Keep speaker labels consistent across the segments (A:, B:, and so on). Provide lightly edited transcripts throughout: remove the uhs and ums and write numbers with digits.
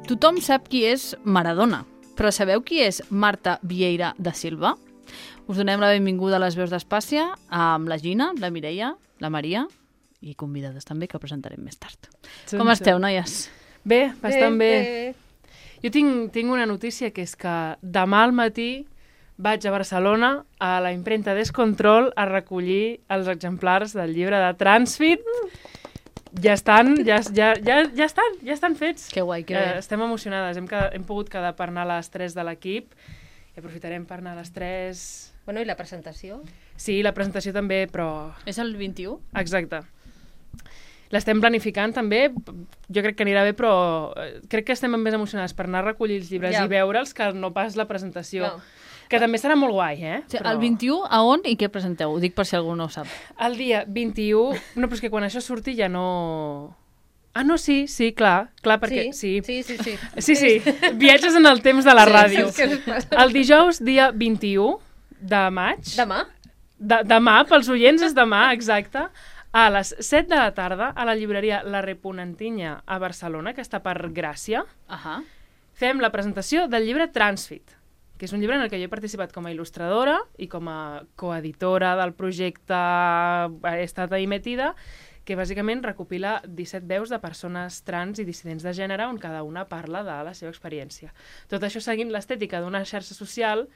A: Tothom sap qui és Maradona, però sabeu qui és Marta Vieira da Silva? Us donem la benvinguda a les veus d'Espàcia amb la Gina, la Mireia, la Maria i convidades també que presentarem més tard. Com esteu, noies?
B: Bé, bastant bé. Jo tinc una notícia que és que demà al matí vaig a Barcelona a la impremta Descontrol a recollir els exemplars del llibre de Transfit. Ja estan fets.
A: Que guai, que bé.
B: Estem emocionades. Hem pogut quedar per anar a les 3 de l'equip i aprofitarem per anar a les 3.
C: Bueno, i la presentació?
B: Sí, la presentació també, però...
A: És el 21?
B: Exacte. L'estem planificant també, jo crec que anirà bé, però crec que estem més emocionades per anar a recollir els llibres i veure'ls que no pas la presentació. No. Que també serà molt guai, eh?
A: Sí, però... El 21, a on i què presenteu? Ho dic per si algú no ho sap.
B: El dia 21... No, però és que quan això surti ja no... Ah, no, sí, clar, perquè...
C: Sí.
B: Sí, viatges en el temps de la ràdio. El dijous, dia 21 de maig...
C: Demà?
B: Demà, pels oients és demà, exacte. A les 7 de la tarda, a la llibreria La Reponentinya a Barcelona, que està per Gràcia, fem la presentació del llibre Transfit, que és un llibre en el que jo he participat com a il·lustradora i com a coeditora del projecte He estat ahí metida, que bàsicament recopila 17 veus de persones trans i dissidents de gènere on cada una parla de la seva experiència. Tot això seguint l'estètica d'una xarxa social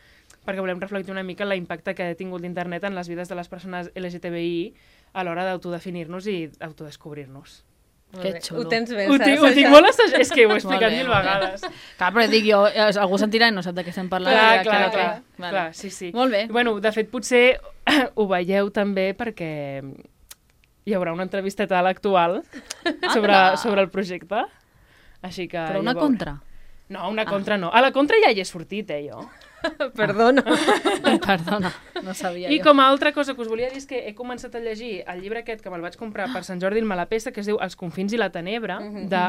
B: perquè volem reflectir una mica l'impacte que ha tingut l'internet en les vides de les persones LGTBI a l'hora d'autodefinir-nos i autodescobrir-nos.
A: Que xulo.
C: Ho tens ben
B: Ho tinc molt assajat. És que ho he explicat mil vegades.
A: Clar, però dic jo, algú sentirà i no sap de què estem parlant.
B: Clar, sí.
A: Molt bé.
B: Bueno, de fet, potser ho veieu també perquè hi haurà una entrevisteta a l'Actual sobre el projecte. Així que...
A: Però una contra?
B: No, una contra no. A la contra ja hi he sortit, jo.
C: Perdona,
A: no sabia
B: jo. I
A: jo.
B: com a altra cosa que us volia dir és que he començat a llegir el llibre aquest que me'l vaig comprar per Sant Jordi el Malapesta, que es diu Els confins i la tenebra, de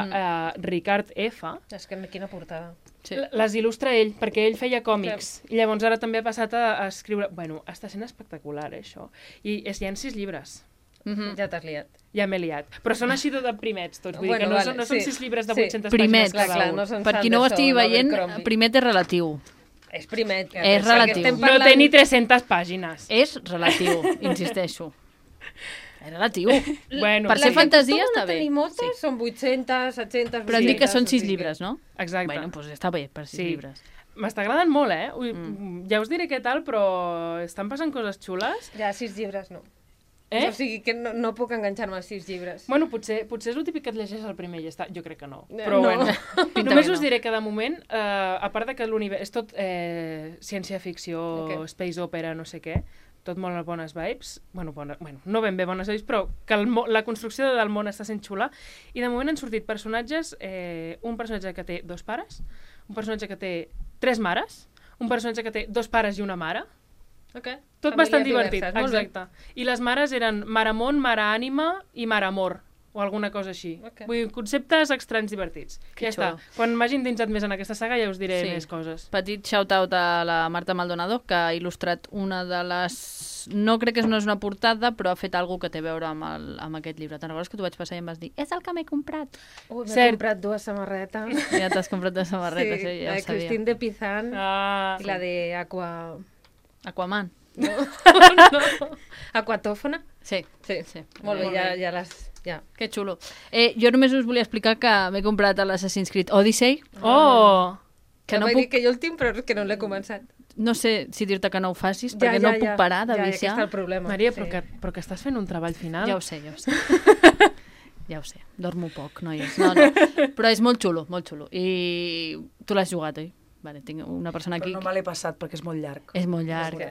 B: Ricard F.
C: És que quina portada.
B: Sí. Les il·lustra ell, perquè ell feia còmics. I llavors ara també ha passat a escriure... Bueno, està sent espectacular, això. I hi ha 6 llibres.
C: Ja t'has liat.
B: Ja m'he liat. Però són així de primets, tots. Vull dir que no són 6 llibres de 800
A: pàgines
B: cada un.
A: Per qui no ho estigui veient, primet és relatiu.
C: És primet.
A: És relatiu.
B: No té ni 300 pàgines.
A: És relatiu, insisteixo. És relatiu.
B: Bueno,
C: per
A: ser fantasia està bé.
C: Tenir moltes, són 800, 700...
A: Però hem dit que són 6 llibres, no?
B: Exacte.
A: Bueno, doncs està bé per 6 llibres.
B: M'està agradant molt, Ja us diré què tal, però estan passant coses xules.
C: Ja, 6 llibres no. O sigui que no puc enganxar-me als 6 llibres.
B: Bueno, potser és el típic que et llegeix el primer i ja està. Jo crec que no. Però bueno, només us diré que de moment, a part de que l'univers és tot ciència-ficció, space opera, no sé què, tot molt bones vibes, bueno, no ben bé bones vibes, però que la construcció del món està sent xula, i de moment han sortit personatges, un personatge que té 2 pares, un personatge que té 3 mares, un personatge que té 2 pares i una mare. Tot bastant divertit, exacte. I les mares eren Mare Món, Mare Ànima i Mare Amor, o alguna cosa així. Vull dir, conceptes estranys divertits. Ja està. Quan m'hagi endinsat més en aquesta saga ja us diré més coses.
A: Petit shout-out a la Marta Maldonado, que ha il·lustrat una de les... No crec que no és una portada, però ha fet alguna que té a veure amb aquest llibre. Te'n recordes que t'ho vaig passar i em vas dir és el que m'he comprat?
C: M'he comprat 2 samarretes.
A: Ja t'has comprat 2 samarretes, ja ho sabia.
C: La de Christine de Pizan i la de
A: Aquaman.
C: No. Aquatòfona?
A: Sí.
C: Molt bé, ja les...
A: Que xulo. Jo només us volia explicar que m'he comprat l'Assassin's Creed Odyssey.
C: Que no puc... dir que jo el tinc, però que no l'he començat.
A: No sé si dir-te que no ho facis, perquè no puc parar de viciar.
C: Ja, està el problema.
B: Maria, però que estàs fent un treball final.
A: Ja ho sé. Ja ho sé. Dormo poc, noies. No. Però és molt xulo, molt xulo. I tu l'has jugat, oi? Vale, tinc una persona aquí...
D: Però no me l'he passat perquè és molt llarg.
A: És molt llarg.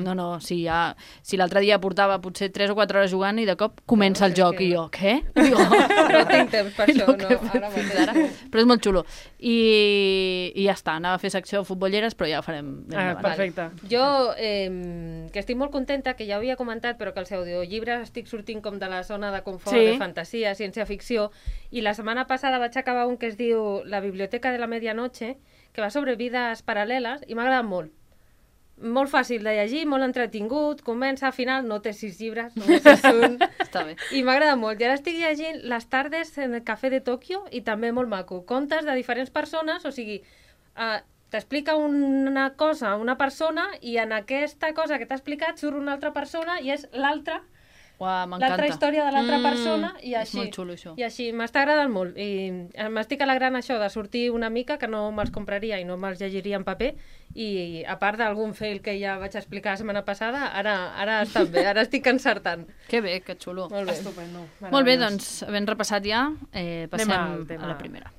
A: No, si l'altre dia portava potser 3 o 4 hores jugant i de cop comença el joc i jo, què?
C: No tinc temps per això, no.
A: Però és molt xulo. I ja està, anava a fer secció de futbolleres, però ja ho farem.
B: Perfecte.
C: Jo, que estic molt contenta, que ja ho havia comentat, però que els audiollibres estic sortint com de la zona de confort, de fantasia, ciència-ficció, i la setmana passada vaig acabar un que es diu La biblioteca de la medianoche, que va sobre vides paral·leles i m'ha agradat molt. molt fàcil de llegir, molt entretingut, comença, al final no té 6 llibres, només és un.
A: Està bé.
C: I m'agrada molt. I ara estic llegint Les tardes en el cafè de Tòquio i també molt maco. Contes de diferents persones, o sigui, t'explica una cosa una persona i en aquesta cosa que t'ha explicat surt una altra persona i és l'altra història de l'altra persona i així.
A: És molt xulo, això.
C: I així, m'està agradant molt. I m'estic alegrant això de sortir una mica, que no me'ls compraria i no me'ls llegiria en paper, i a part d'algun fail que ja vaig explicar la setmana passada, ara està bé, ara estic encertant.
A: Que bé, que xulo.
C: Molt bé.
B: Estupendo.
A: Molt bé, doncs, havent repassat ja, passem a la primera.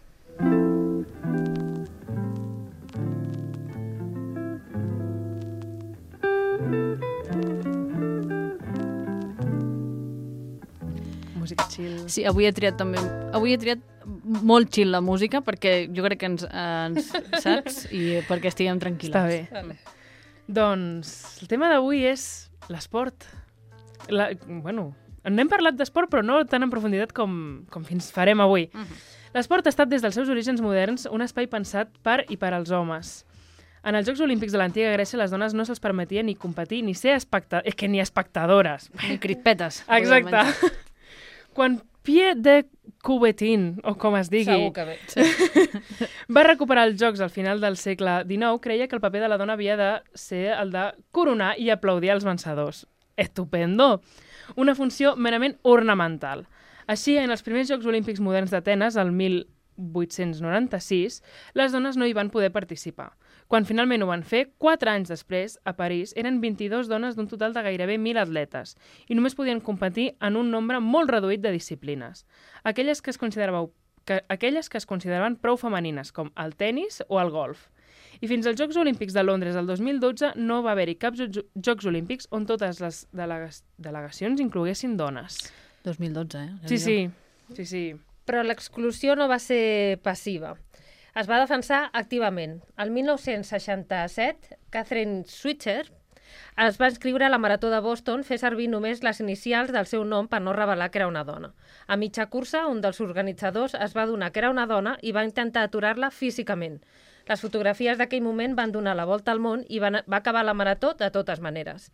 B: Música chill.
A: Sí, avui he triat molt chill la música, perquè jo crec que ens saps, i perquè estiguem tranquil·les.
B: Està bé.
C: Vale.
B: Doncs el tema d'avui és l'esport. Bueno, n'hem parlat d'esport, però no tan en profunditat com fins farem avui. L'esport ha estat des dels seus orígens moderns un espai pensat per i per als homes. En els Jocs Olímpics de l'antiga Grècia les dones no se'ls permetia ni competir ni ser ni espectadores.
A: Ni crispetes.
B: Exacte. Quan Pierre de Coubertin, o com es digui,
C: Segur que bé.
B: va recuperar els Jocs al final del segle XIX, creia que el paper de la dona havia de ser el de coronar i aplaudir els vencedors. Estupendo! Una funció merament ornamental. Així, en els primers Jocs Olímpics moderns d'Atenes, el 1896, les dones no hi van poder participar. Quan finalment ho van fer, 4 anys després, a París, eren 22 dones d'un total de gairebé 1.000 atletes i només podien competir en un nombre molt reduït de disciplines. Aquelles que es consideraven prou femenines, com el tennis o el golf. I fins als Jocs Olímpics de Londres del 2012 no va haver-hi cap Jocs Olímpics on totes les delegacions incloguessin dones.
A: 2012,
B: Sí.
C: Però l'exclusió no va ser passiva. Es va defensar activament. El 1967, Catherine Switzer es va inscriure a la Marató de Boston, fer servir només les inicials del seu nom per no revelar que era una dona. A mitja cursa, un dels organitzadors es va adonar que era una dona i va intentar aturar-la físicament. Les fotografies d'aquell moment van donar la volta al món i va acabar la marató de totes maneres.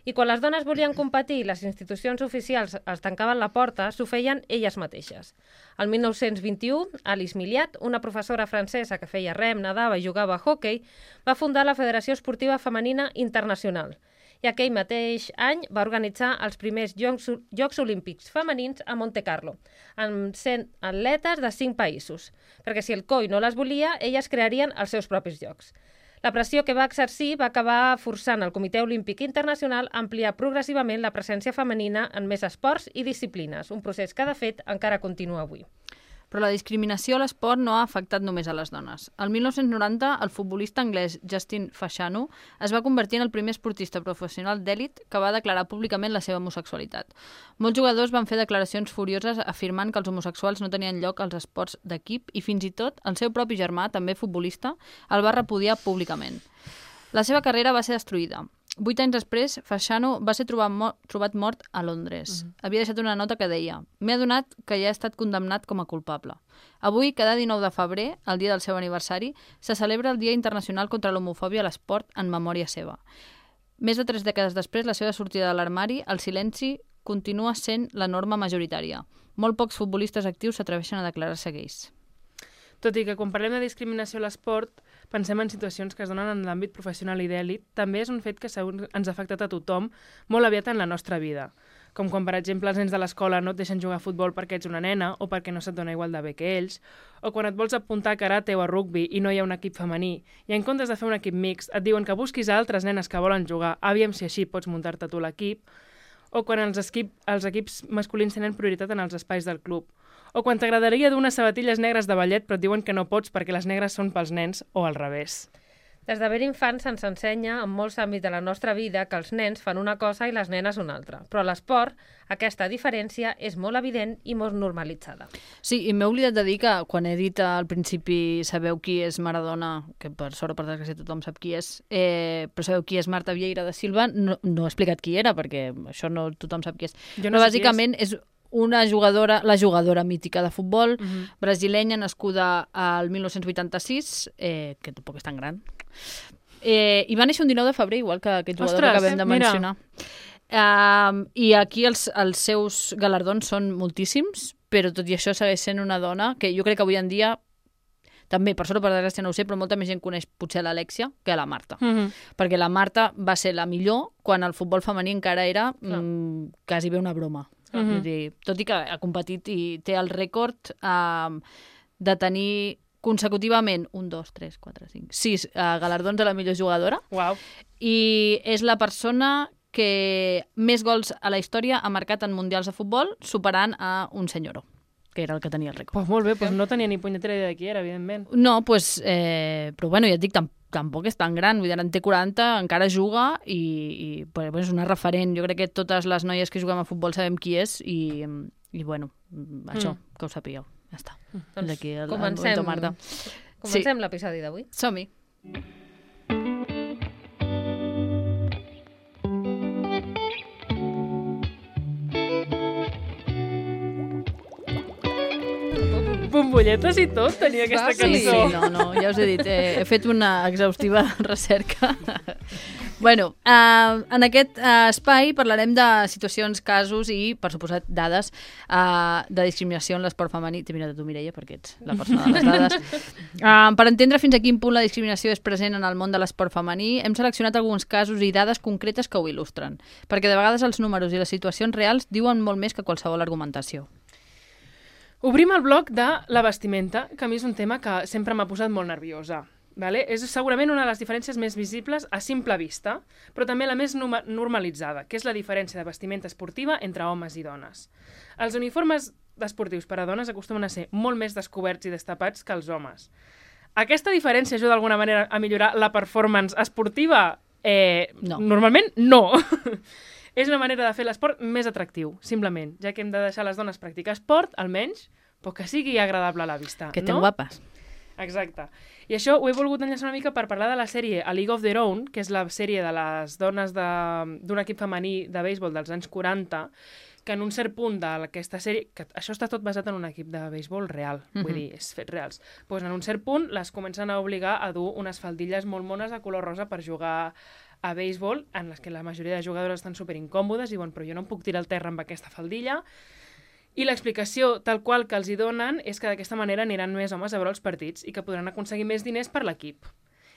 C: I quan les dones volien competir i les institucions oficials els tancaven la porta, s'ho feien elles mateixes. El 1921, Alice Milliat, una professora francesa que feia rem, nedava i jugava a hoquei, va fundar la Federació Esportiva Femenina Internacional. I aquell mateix any va organitzar els primers Jocs Olímpics femenins a Monte Carlo, amb 100 atletes de 5 països, perquè si el COI no les volia, elles crearien els seus propis jocs. La pressió que va exercir va acabar forçant el Comitè Olímpic Internacional a ampliar progressivament la presència femenina en més esports i disciplines, un procés que, de fet, encara continua avui.
A: Però la discriminació a l'esport no ha afectat només a les dones. El 1990, el futbolista anglès Justin Fashanu es va convertir en el primer esportista professional d'èlit que va declarar públicament la seva homosexualitat. Molts jugadors van fer declaracions furioses afirmant que els homosexuals no tenien lloc als esports d'equip i fins i tot el seu propi germà, també futbolista, el va repudiar públicament. La seva carrera va ser destruïda. 8 anys després, Fashanu va ser trobat mort a Londres. Havia deixat una nota que deia: «M'he adonat que ja he estat condemnat com a culpable». Avui, cada 19 de febrer, el dia del seu aniversari, se celebra el Dia Internacional contra l'Homofòbia a l'Esport en memòria seva. Més de 3 dècades després, la seva sortida de l'armari, el silenci continua sent la norma majoritària. Molt pocs futbolistes actius s'atreveixen a declarar-se gais.
B: Tot i que quan parlem de discriminació a l'esport pensem en situacions que es donen en l'àmbit professional i d'èlit, també és un fet que ens ha afectat a tothom molt aviat en la nostra vida. Com quan, per exemple, els nens de l'escola no et deixen jugar a futbol perquè ets una nena o perquè no se't dona igual de bé que ells, o quan et vols apuntar a karate o a rugbi i no hi ha un equip femení, i en comptes de fer un equip mixt et diuen que busquis a altres nenes que volen jugar, aviam si així pots muntar-te tu l'equip, o quan els equips masculins tenen prioritat en els espais del club, o quan t'agradaria dur unes sabatilles negres de ballet però et diuen que no pots perquè les negres són pels nens o al revés.
C: Des de ben infants se'ns ensenya en molts àmbits de la nostra vida que els nens fan una cosa i les nenes una altra. Però a l'esport aquesta diferència és molt evident i molt normalitzada.
A: Sí, i m'he oblidat de dir que quan he dit al principi sabeu qui és Maradona, que per sort o per desgràcia tothom sap qui és, però sabeu qui és Marta Vieira da Silva, no he explicat qui era perquè això no tothom sap qui és.
B: Jo
A: no però bàsicament és una jugadora, la jugadora mítica de futbol, brasilenya, nascuda al 1986, que tampoc és tan gran, I va néixer un 19 de febrer, igual que aquest jugador que acabem de mencionar. I aquí els seus galardons són moltíssims, però tot i això segueix sent una dona que jo crec que avui en dia, també, per sort o per desgràcia no ho sé, però molta més gent coneix potser l'Alexia que la Marta. Perquè la Marta va ser la millor quan el futbol femení encara era quasi bé una broma. Vull dir, tot i que ha competit i té el rècord de tenir consecutivament 6 galardons de la millor jugadora.
B: Uau.
A: I és la persona que més gols a la història ha marcat en mundials de futbol, superant a un senyoro, que era el que tenia el rècord.
B: Pues molt bé, pues no tenia ni punyetera idea de qui era, evidentment.
A: No, pues, però bueno, ja et dic, tampoc és tan gran, vull dir, en té 40, encara juga i és una referent. Jo crec que totes les noies que juguem a futbol sabem qui és i bueno, això, que ho sapigueu. Ja està.
C: Doncs comencem l'episodi d'avui.
A: Som-hi.
B: Bombolletes i tot tenia aquesta cançó.
A: Sí, no, ja us he dit, he fet una exhaustiva recerca. Bueno, en aquest espai parlarem de situacions, casos i, per suposat, dades de discriminació en l'esport femení. T'he mirat a tu, Mireia, perquè ets la persona de les dades. Per entendre fins a quin punt la discriminació és present en el món de l'esport femení, hem seleccionat alguns casos i dades concretes que ho il·lustren, perquè de vegades els números i les situacions reals diuen molt més que qualsevol argumentació.
B: Obrim el bloc de la vestimenta, que a mi és un tema que sempre m'ha posat molt nerviosa. Vale? És segurament una de les diferències més visibles a simple vista, però també la més normalitzada, que és la diferència de vestimenta esportiva entre homes i dones. Els uniformes esportius per a dones acostumen a ser molt més descoberts i destapats que els homes. Aquesta diferència ajuda d'alguna manera a millorar la performance esportiva?
A: No.
B: Normalment no. És una manera de fer l'esport més atractiu, simplement, ja que hem de deixar les dones practicar esport, almenys, però que sigui agradable a la vista.
A: Que ten guapes.
B: Exacte. I això ho he volgut enllaçar una mica per parlar de la sèrie A League of Their Own, que és la sèrie de les dones d'un equip femení de béisbol dels anys 40, que en un cert punt d'aquesta sèrie, que això està tot basat en un equip de béisbol real, vull dir, és fets reals, doncs en un cert punt les comencen a obligar a dur unes faldilles molt mones de color rosa per jugar a béisbol, en les que la majoria de jugadores estan superincòmodes i diuen, però jo no em puc tirar al terra amb aquesta faldilla. I l'explicació tal qual que els hi donen és que d'aquesta manera aniran més homes a veure els partits i que podran aconseguir més diners per l'equip.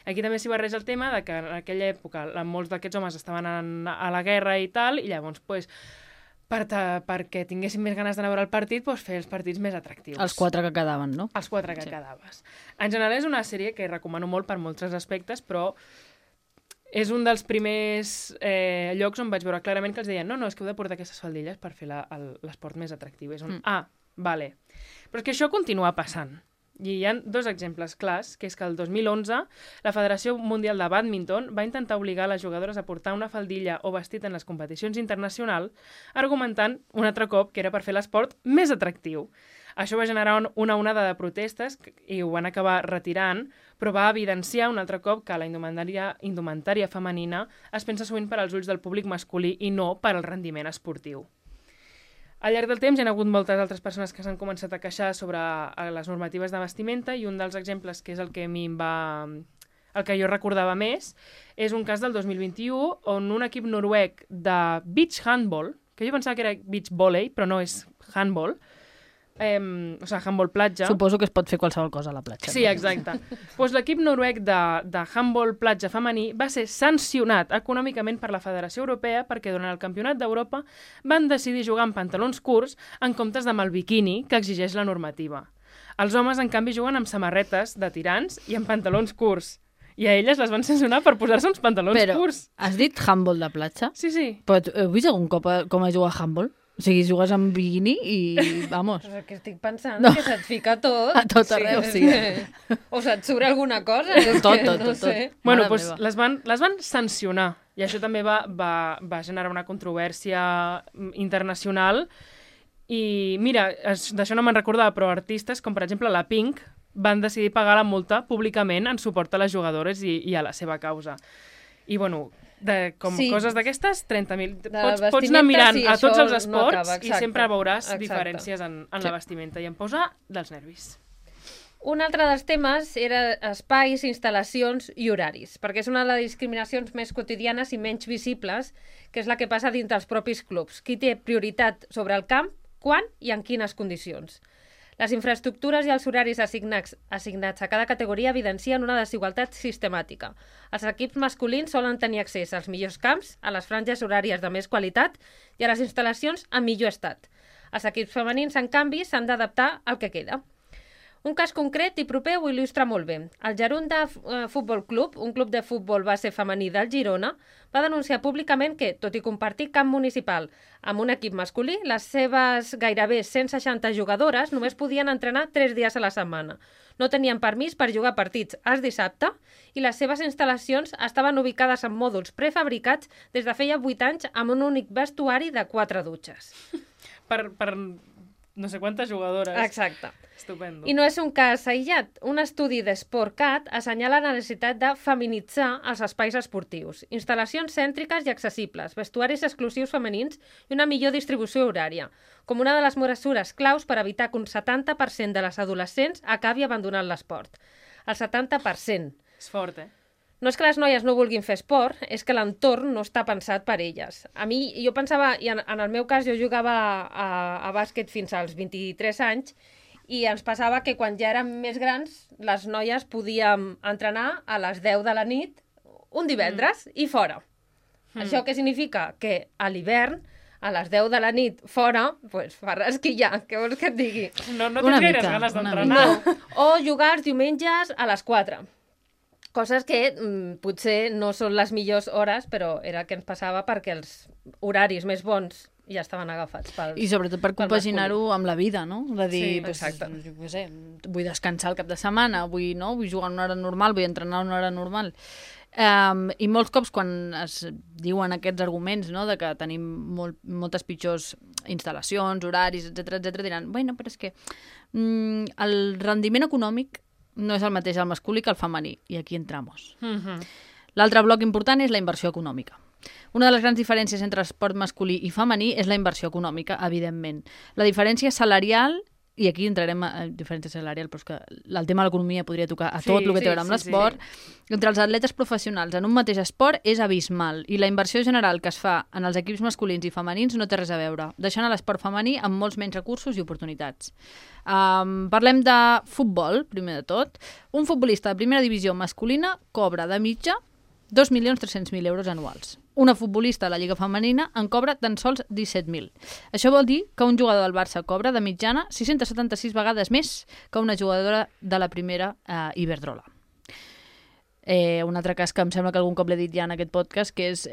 B: Aquí també s'hi barreja el tema de que en aquella època molts d'aquests homes estaven a la guerra i tal, i llavors, pues, perquè tinguessin més ganes d'anar a veure el partit, pues, fer els partits més atractius.
A: Els 4 que quedaven, no?
B: Els 4 que quedaves. En general és una sèrie que recomano molt per molts aspectes, però és un dels primers llocs on vaig veure clarament que els deien no, és que heu de portar aquestes faldilles per fer l'esport més atractiu. És vale. Però és que això continua passant. I hi ha 2 exemples clars, que és que el 2011 la Federació Mundial de Bàdminton va intentar obligar les jugadores a portar una faldilla o vestit en les competicions internacionals, argumentant un altre cop que era per fer l'esport més atractiu. Això va generar una onada de protestes i ho van acabar retirant, però va evidenciar un altre cop que la indumentària femenina es pensa sovint per als ulls del públic masculí i no per al rendiment esportiu. Al llarg del temps hi ha hagut moltes altres persones que s'han començat a queixar sobre les normatives de vestimenta i un dels exemples, que és el que a mi el que jo recordava més, és un cas del 2021 on un equip noruec de beach handball, que jo pensava que era beach volley, però no és handball, o sigui, handball platja.
A: Suposo que es pot fer qualsevol cosa a la platja.
B: Sí, exacte. Doncs l'equip noruec de handball platja femení va ser sancionat econòmicament per la Federació Europea perquè durant el Campionat d'Europa van decidir jugar amb pantalons curts en comptes amb el biquini que exigeix la normativa. Els homes, en canvi, juguen amb samarretes de tirants i amb pantalons curts. I a elles les van sancionar per posar-se uns pantalons curts.
A: Però has dit handball de platja?
B: Sí, sí.
A: Però heu vist algun cop com a jugar a handball? O sigui, jugues amb bikini i, vamos...
C: Però que estic pensant que se't fica tot.
A: A tot arreu, sí.
C: O se't surt alguna cosa.
A: Tot.
B: Bueno, doncs les van sancionar. I això també va generar una controvèrsia internacional. I mira, d'això no me'n recordava, però artistes com, per exemple, la Pink van decidir pagar la multa públicament en suport a les jugadores i a la seva causa. I, bueno... coses d'aquestes, 30.000. Pots anar mirant a tots els esports i sempre veuràs diferències en la vestimenta i em posa dels nervis.
C: Un altre dels temes era espais, instal·lacions i horaris, perquè és una de les discriminacions més quotidianes i menys visibles, que és la que passa dins dels propis clubs. Qui té prioritat sobre el camp, quan i en quines condicions. Les infraestructures i els horaris assignats a cada categoria evidencien una desigualtat sistemàtica. Els equips masculins solen tenir accés als millors camps, a les franges horàries de més qualitat i a les instal·lacions en millor estat. Els equips femenins, en canvi, s'han d'adaptar al que queda. Un cas concret i proper ho il·lustra molt bé. El Gerunda Futbol Club, un club de futbol base femení del Girona, va denunciar públicament que, tot i compartir camp municipal amb un equip masculí, les seves gairebé 160 jugadores només podien entrenar 3 dies a la setmana. No tenien permís per jugar partits els dissabte i les seves instal·lacions estaven ubicades en mòduls prefabricats des de feia 8 anys amb un únic vestuari de 4 dutxes.
B: Per no sé quantes jugadores.
C: Exacte.
B: Estupendo.
C: I no és un cas aïllat. Un estudi d'SportCat assenyala la necessitat de feminitzar els espais esportius, instal·lacions cèntriques i accessibles, vestuaris exclusius femenins i una millor distribució horària, com una de les mesures claus per evitar que un 70% de les adolescents acabi abandonant l'esport. El 70%.
B: És fort,
C: No és que les noies no vulguin fer esport, és que l'entorn no està pensat per elles. A mi, jo pensava, i en el meu cas jo jugava a bàsquet fins als 23 anys, i ens passava que quan ja érem més grans, les noies podíem entrenar a les 10 de la nit, un divendres, i fora. Això què significa? Que a l'hivern, a les 10 de la nit fora, pues, fa rasquillar, què vols que et digui?
B: No tens gaires ganes d'entrenar.
C: No. O jugar els diumenges a les 4. Coses que potser no són les millors hores, però era el que ens passava perquè els horaris més bons ja estaven agafats pel
A: I sobretot per compaginar-ho amb la vida, no? De dir,
C: Sí,
A: pues,
C: exacte.
A: jo què sé, vull descansar el cap de setmana, vull jugar a una hora normal, vull entrenar a una hora normal. I molts cops quan es diuen aquests arguments, no?, de que tenim moltes pitjors instal·lacions, horaris, etc diran, bueno, però és que el rendiment econòmic no és el mateix al masculí que al femení, i aquí entramos. L'altre bloc important és la inversió econòmica. Una de les grans diferències entre esport masculí i femení és la inversió econòmica, evidentment. La diferència salarial, i aquí entrarem a diferència salarial, però és que el tema de l'economia podria tocar a tot el que té a veure amb l'esport, entre els atletes professionals en un mateix esport és abismal, i la inversió general que es fa en els equips masculins i femenins no té res a veure, deixant a l'esport femení amb molts menys recursos i oportunitats. Parlem de futbol, primer de tot. Un futbolista de primera divisió masculina cobra de mitja 2.300.000 euros anuals. Una futbolista de la Lliga Femenina en cobra tan sols 17.000. Això vol dir que un jugador del Barça cobra de mitjana 676 vegades més que una jugadora de la primera Iberdrola. Un altre cas que em sembla que algun cop l'he dit ja en aquest podcast, que és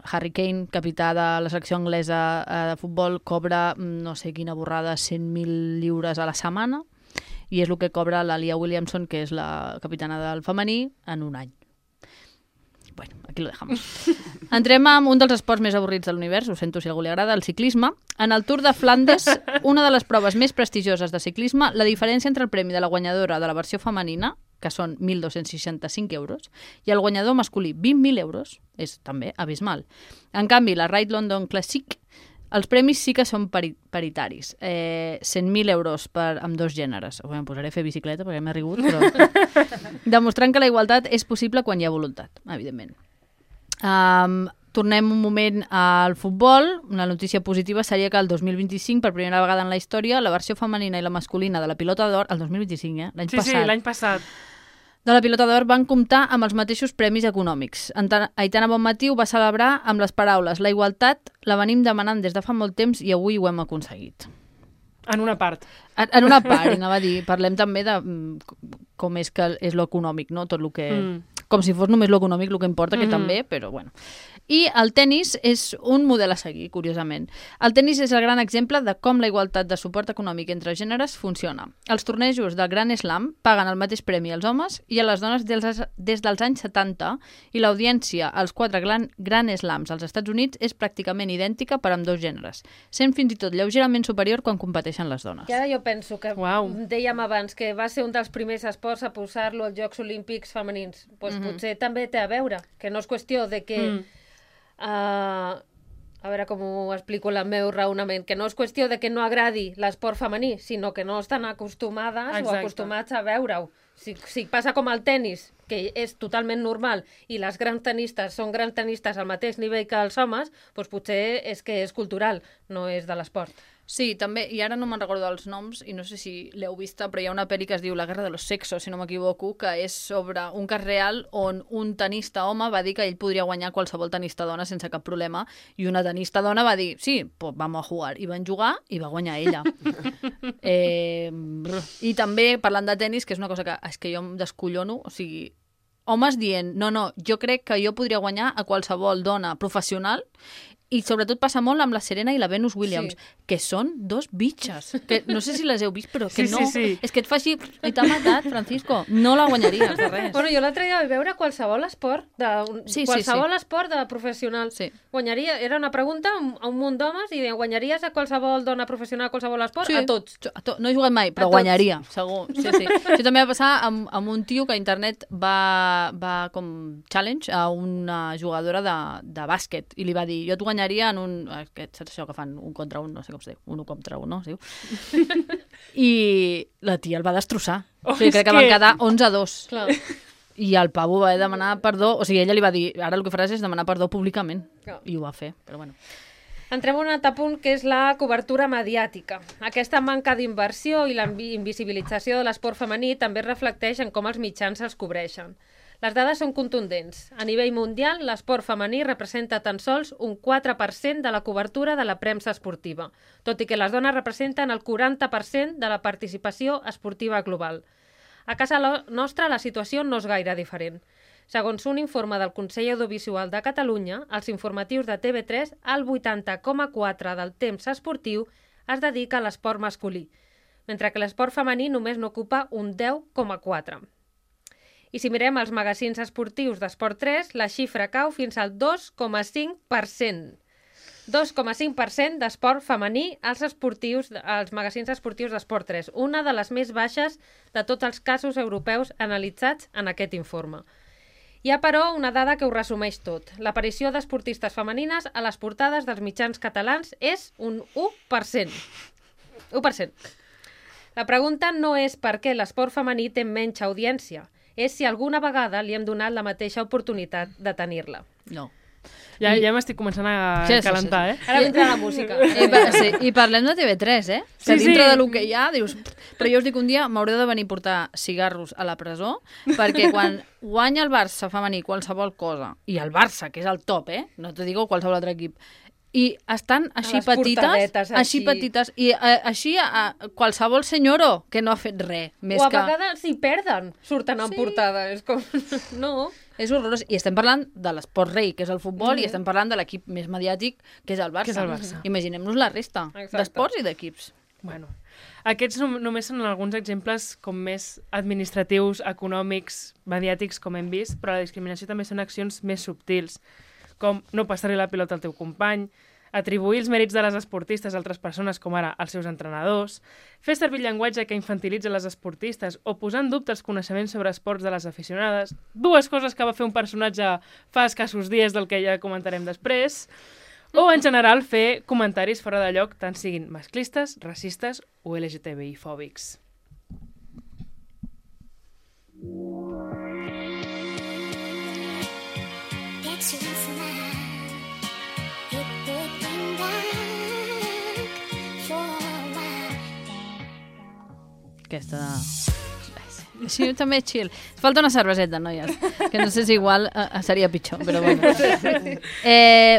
A: Harry Kane, capità de la selecció anglesa de futbol, cobra, no sé quina borrada, 100.000 lliures a la setmana, i és el que cobra la Lia Williamson, que és la capitana del femení, en un any. Bueno, aquí lo dejamos. Entrem amb un dels esports més avorrits de l'univers, ho sento si a algú li agrada, el ciclisme. En el Tour de Flandes, una de les proves més prestigioses de ciclisme, la diferència entre el premi de la guanyadora de la versió femenina, que són 1.265 euros, i el guanyador masculí, 20.000 euros, és també abismal. En canvi, la Ride London Classic, els premis sí que són paritaris. 100.000 euros amb dos gèneres. Em posaré a fer bicicleta perquè m'he rigut, però... Demostrant que la igualtat és possible quan hi ha voluntat, evidentment. Tornem un moment al futbol. Una notícia positiva seria que el 2025, per primera vegada en la història, la versió femenina i la masculina de la Pilota d'Or, el 2025, l'any passat.
B: Sí, l'any passat.
A: De la Pilota d'Or van comptar amb els mateixos premis econòmics. Aitana Bonmatí ho va celebrar amb les paraules: la igualtat la venim demanant des de fa molt temps i avui ho hem aconseguit.
B: En una part.
A: En una part, i anava a dir, parlem també de com és que és l'econòmic, no? Tot el que... Com si fos només l'econòmic el que importa, que també, però bueno. I el tennis és un model a seguir, curiosament. El tennis és el gran exemple de com la igualtat de suport econòmic entre gèneres funciona. Els tornejos del Grand Slam paguen el mateix premi als homes i a les dones des dels anys 70, i l'audiència als 4 Grand Slams als Estats Units és pràcticament idèntica per amb dos gèneres, sent fins i tot lleugerament superior quan competeixen les dones.
C: I ara jo penso que dèiem abans que va ser un dels primers esports a posar-lo als Jocs Olímpics femenins. Pues potser també té a veure, que no és qüestió de que a veure com ho explico el meu raonament, que no és qüestió de que no agradi l'esport femení, sinó que no estan acostumades o acostumats a veure-ho. Si passa com el tennis, que és totalment normal, i les grans tenistes són grans tenistes al mateix nivell que els homes, doncs potser és que és cultural, no és de l'esport.
A: Sí, també, i ara no me'n recordo dels noms, i no sé si l'heu vista, però hi ha una pel·li que es diu La guerra de los sexos, si no m'equivoco, que és sobre un cas real on un tenista home va dir que ell podria guanyar qualsevol tenista dona sense cap problema, i una tenista dona va dir, sí, pues vamos a jugar, i van jugar i va guanyar ella. I també, parlant de tenis, que és una cosa que és que jo em descollono, o sigui, homes dient, no, jo crec que jo podria guanyar a qualsevol dona professional, i sobretot passa molt amb la Serena i la Venus Williams, que són dos bitxes. Que no sé si les heu vist, però que no.
B: Sí.
A: És que et fa així, i t'ha matat, Francisco. No la guanyaries, de res.
C: Bueno, jo l'altre dia vaig veure qualsevol esport esport de professional.
A: Sí.
C: Guanyaria, era una pregunta a un munt d'homes i guanyaries a qualsevol dona professional a qualsevol esport? Sí. A tots.
A: No he jugat mai, però guanyaria, segur. Sí. Això també va passar amb un tio que a internet va com challenge a una jugadora de bàsquet i li va dir, jo et guanyaria en un... Saps això que fan un contra un, no sé com es diu, un contra un, no? Es diu. I la tia el va destrossar. O sigui, crec que van quedar 11-2.
C: Clar.
A: I el pavo va demanar perdó, o sigui, ella li va dir, ara el que faràs és demanar perdó públicament. I ho va fer, però bueno.
C: Entrem en un altre punt, que és la cobertura mediàtica. Aquesta manca d'inversió i la invisibilització de l'esport femení també es reflecteix en com els mitjans els cobreixen. Les dades són contundents. A nivell mundial, l'esport femení representa tan sols un 4% de la cobertura de la premsa esportiva, tot i que les dones representen el 40% de la participació esportiva global. A casa nostra la situació no és gaire diferent. Segons un informe del Consell Audiovisual de Catalunya, els informatius de TV3, el 80,4% del temps esportiu es dedica a l'esport masculí, mentre que l'esport femení només n'ocupa un 10,4%. I si mirem els magazins esportius d'Esport 3, la xifra cau fins al 2,5%. 2,5% d'esport femení als magazins esportius d'Esport 3, una de les més baixes de tots els casos europeus analitzats en aquest informe. Hi ha, però, una dada que ho resumeix tot. L'aparició d'esportistes femenines a les portades dels mitjans catalans és un 1%. 1%. La pregunta no és per què l'esport femení té menys audiència, és si alguna vegada li hem donat la mateixa oportunitat de tenir-la.
A: No.
B: Ja m'estic començant a calentar,
C: Ara vindrà la música.
A: I parlem de TV3, Que dintre de lo que hi ha, dius... Però jo us dic un dia, m'hauré de venir a portar cigarros a la presó, perquè quan guanya el Barça femení qualsevol cosa, i el Barça, que és el top, no te digo qualsevol altre equip, i estan així petites, i així qualsevol senyoro que no ha fet res.
C: O a vegades si perden, surten en portada. És com... No.
A: És horrorós. I estem parlant de l'esport rei, que és el futbol, i estem parlant de l'equip més mediàtic, que és el Barça. Imaginem-nos la resta d'esports i d'equips.
B: Bueno, aquests només són alguns exemples com més administratius, econòmics, mediàtics, com hem vist, però la discriminació també són accions més subtils, com no passar-li la pilota al teu company, atribuir els mèrits de les esportistes a altres persones, com ara els seus entrenadors, fer servir llenguatge que infantilitza les esportistes o posar en dubte els coneixements sobre esports de les aficionades, dues coses que va fer un personatge fa escassos dies del que ja comentarem després, o, en general, fer comentaris fora de lloc, tant siguin masclistes, racistes o LGTBI-fòbics.
A: Aquesta... Sí, també és chill. Falta una cerveseta, noies, que no sé si igual seria pitjor, però bueno.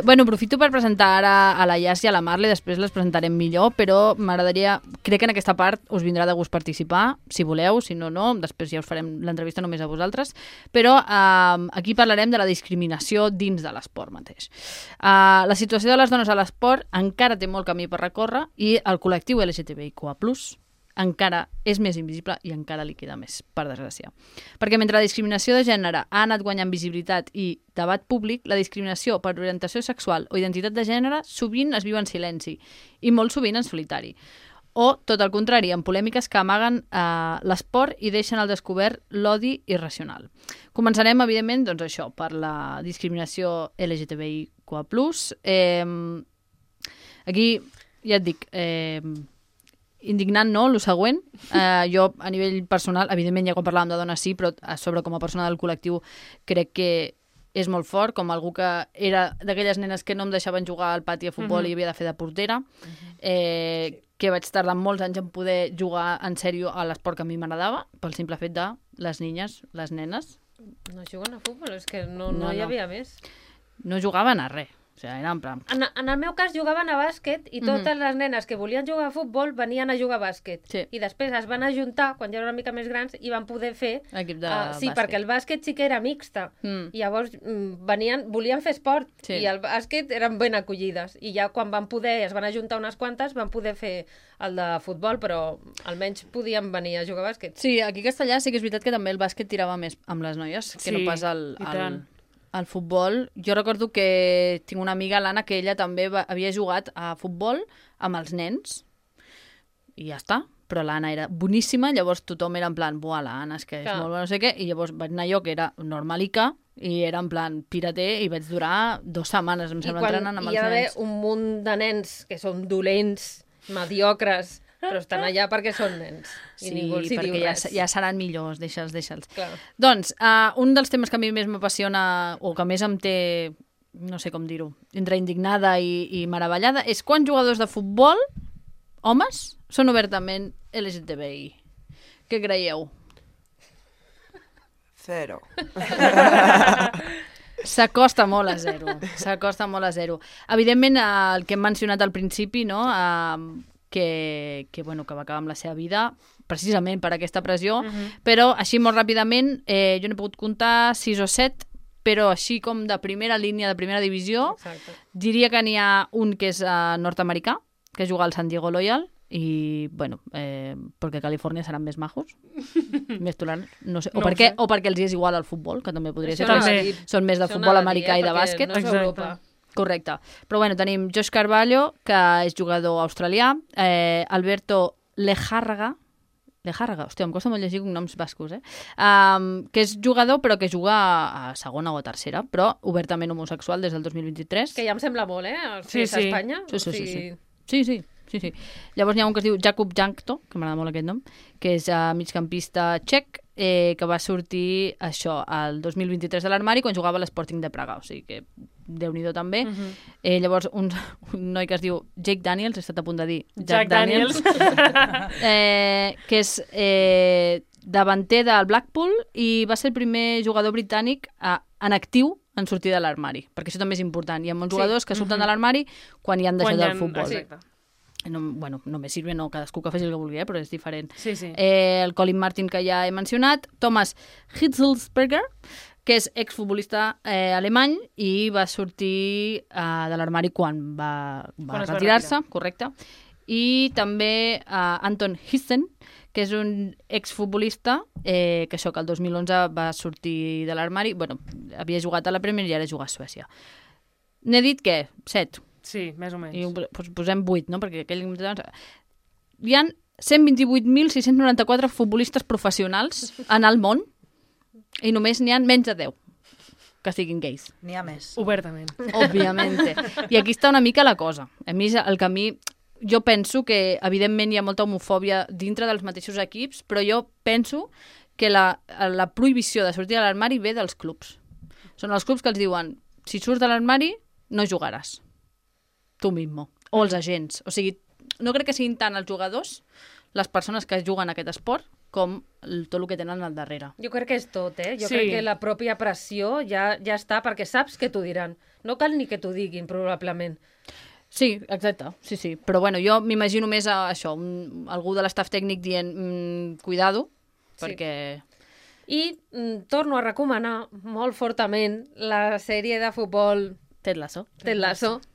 A: Bueno, aprofito per presentar ara a la Yas i a la Marle, després les presentarem millor, però m'agradaria... Crec que en aquesta part us vindrà de gust participar, si voleu, si no, no, després ja us farem l'entrevista només a vosaltres, però aquí parlarem de la discriminació dins de l'esport mateix. La situació de les dones a l'esport encara té molt camí per recórrer i el col·lectiu LGTBIQA+, encara és més invisible i encara li queda més, per desgràcia. Perquè mentre la discriminació de gènere ha anat guanyant visibilitat i debat públic, la discriminació per orientació sexual o identitat de gènere sovint es viu en silenci i molt sovint en solitari. O, tot el contrari, en polèmiques que amaguen l'esport i deixen al descobert l'odi irracional. Començarem, evidentment, doncs això, per la discriminació LGTBIQA+. Aquí, ja et dic, indignant, no?, el següent. Jo, a nivell personal, evidentment, ja quan parlàvem de dones sí, però a sobre com a persona del col·lectiu crec que és molt fort, com algú que era d'aquelles nenes que no em deixaven jugar al pati a futbol i havia de fer de portera, que vaig tardar molts anys en poder jugar en sèrio a l'esport que a mi m'agradava, pel simple fet de les niñes, les nenes.
C: No juguen a futbol, és que no hi havia més.
A: No jugaven a res. O sigui, era en plan...
C: En el meu cas jugaven a bàsquet i totes les nenes que volien jugar a futbol venien a jugar a bàsquet.
A: Sí.
C: I després es van ajuntar, quan ja eren una mica més grans, i van poder fer...
A: Equip de
C: sí,
A: bàsquet.
C: perquè el bàsquet sí que era mixta. I llavors volien fer esport i el bàsquet eren ben acollides. I ja quan van poder, es van ajuntar unes quantes, van poder fer el de futbol, però almenys podien venir a jugar a bàsquet.
A: Sí, aquí a Castellà sí que és veritat que també el bàsquet tirava més amb les noies que no pas al futbol. Jo recordo que tinc una amiga, l'Anna, que ella també havia jugat a futbol amb els nens i ja està. Però l'Anna era boníssima, llavors tothom era en plan, buah, l'Anna és que és molt bona, no sé què, i llavors vaig anar jo, que era normalica, i era en plan pirater, i vaig durar 2 setmanes, em sembla, entrenant amb els nens.
C: I hi ha d'haver un munt de nens que són dolents, mediocres, però estan allà perquè són nens.
A: Sí, perquè ja seran millors, deixa'ls.
C: Clar.
A: Doncs, un dels temes que a mi més m'apassiona, o que més em té, no sé com dir-ho, entre indignada i meravellada, és quan jugadors de futbol, homes, són obertament LGTBI. Què creieu?
D: 0.
A: S'acosta molt a 0. Evidentment, el que hem mencionat al principi, no?, que va acabar amb la seva vida precisament per aquesta pressió, però així molt ràpidament, jo n'he pogut comptar 6 o 7, però així com de primera línia, de primera divisió, diria que n'hi ha un que és nord-americà, que juga al San Diego Loyal, i, perquè a Califòrnia seran més majos, més tolerants, no sé, o perquè els és igual al futbol, que també podria ser, que són més de futbol americà i de bàsquet.
C: No és Europa.
A: Correcte. Però tenim Josh Carvalho, que és jugador australià, Alberto Lejárraga, hòstia, em costa molt llegir cognoms bascos, que és jugador però que juga a segona o a tercera, però obertament homosexual des del 2023.
C: Que ja em sembla molt, Sí. A Espanya.
A: Sí. Llavors n'hi ha un que es diu Jakub Jankto, que m'agrada molt aquest nom, que és migcampista txec, que va sortir això el 2023 de l'armari quan jugava a l'Sporting de Praga, o sigui que Déu-n'hi-do també. Llavors un noi que es diu Jake Daniels, he estat a punt de dir Jack Daniels, que és davanter del Blackpool i va ser el primer jugador britànic en actiu en sortir de l'armari, perquè això també és important. Hi ha molts jugadors que surten de l'armari quan hi han deixat el futbol.
B: Exacte.
A: Només sirve, no, cadascú que faci el que vulgui, però és diferent.
B: Sí.
A: El Colin Martin, que ja he mencionat, Thomas Hitzelsberger, que és exfutbolista alemany i va sortir de l'armari quan va retirar-se, correcte. I també Anton Hissen, que és un exfutbolista que això, que el 2011 va sortir de l'armari, havia jugat a la Premier i ara juga a Suècia. N'he dit què? 7.
B: Sí, més o menys.
A: I posem 8, no? Perquè aquell... Hi ha 128.694 futbolistes professionals en el món i només n'hi ha menys de 10 que siguin gais.
D: N'hi ha més.
B: Obertament.
A: Òbviament. I aquí està una mica la cosa. A mi, jo penso que, evidentment, hi ha molta homofòbia dintre dels mateixos equips, però jo penso que la prohibició de sortir de l'armari ve dels clubs. Són els clubs que els diuen, si surts de l'armari, no jugaràs. Tu mismo. O els agents. O sigui, no crec que siguin tant els jugadors, les persones que juguen aquest esport, com tot el que tenen al darrere.
C: Jo crec que és tot, Jo crec que la pròpia pressió ja està, perquè saps què t'ho diran. No cal ni que t'ho diguin, probablement.
A: Sí, exacte. Sí. Però jo m'imagino més això, algú de l'estaf tècnic dient cuidado, perquè...
C: I torno a recomanar molt fortament la sèrie de futbol
A: Ted Lasso,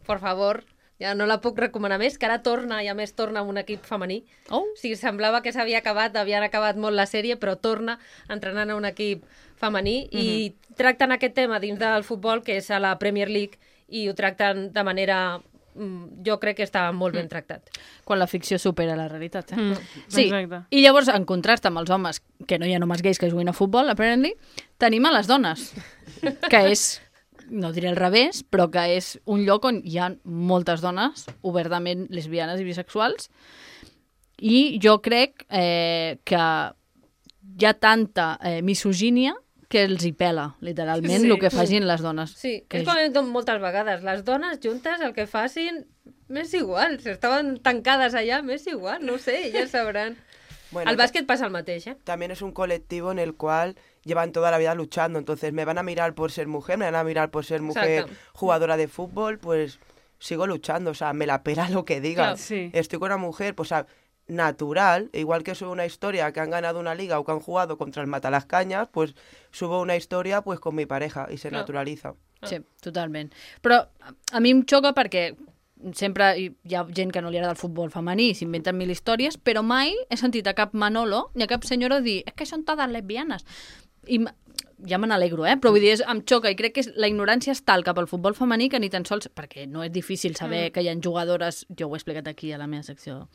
C: por favor. Ja no la puc recomanar més, que ara torna, i a més torna amb un equip femení.
A: Oh.
C: O sigui, semblava que s'havia acabat, havien acabat molt la sèrie, però torna entrenant a un equip femení i tracten aquest tema dins del futbol, que és a la Premier League, i ho tracten de manera... Jo crec que està molt ben tractat.
A: Quan la ficció supera la realitat,
B: Sí,
A: exacte. I llavors, en contrast amb els homes, que no hi ha homes gais que juguin a futbol, apparently, tenim a les dones, que és no diré al revés, però que és un lloc on hi ha moltes dones obertament lesbianes i bisexuals, i jo crec que hi ha tanta misogínia que els hi pela, literalment, el que facin les dones.
C: Sí, que és com moltes vegades. Les dones juntes el que facin m'és igual. Si estaven tancades allà, m'és igual. No sé, ja sabran. Bueno, al básquet pasa el mateix, ¿eh?
D: También es un colectivo en el cual llevan toda la vida luchando. Entonces, me van a mirar por ser mujer, me van a mirar por ser mujer jugadora de fútbol, pues sigo luchando. O sea, me la pela lo que digan. Claro, sí. Estoy con una mujer, pues natural, igual que subo una historia que han ganado una liga o que han jugado contra el Matalascañas, pues subo una historia pues con mi pareja y se naturalitza.
A: Sí, totalment. Però a mi em xoca perquè sempre hi ha gent que no li agrada el futbol femení, s'inventen mil històries, però mai he sentit a cap Manolo ni a cap senyora dir és que són totes lesbianes. I ja me n'alegro, però vull dir, em xoca i crec que la ignorància és tal cap al futbol femení que ni tan sols, perquè no és difícil saber que hi ha jugadores, jo ho he explicat aquí a la meva secció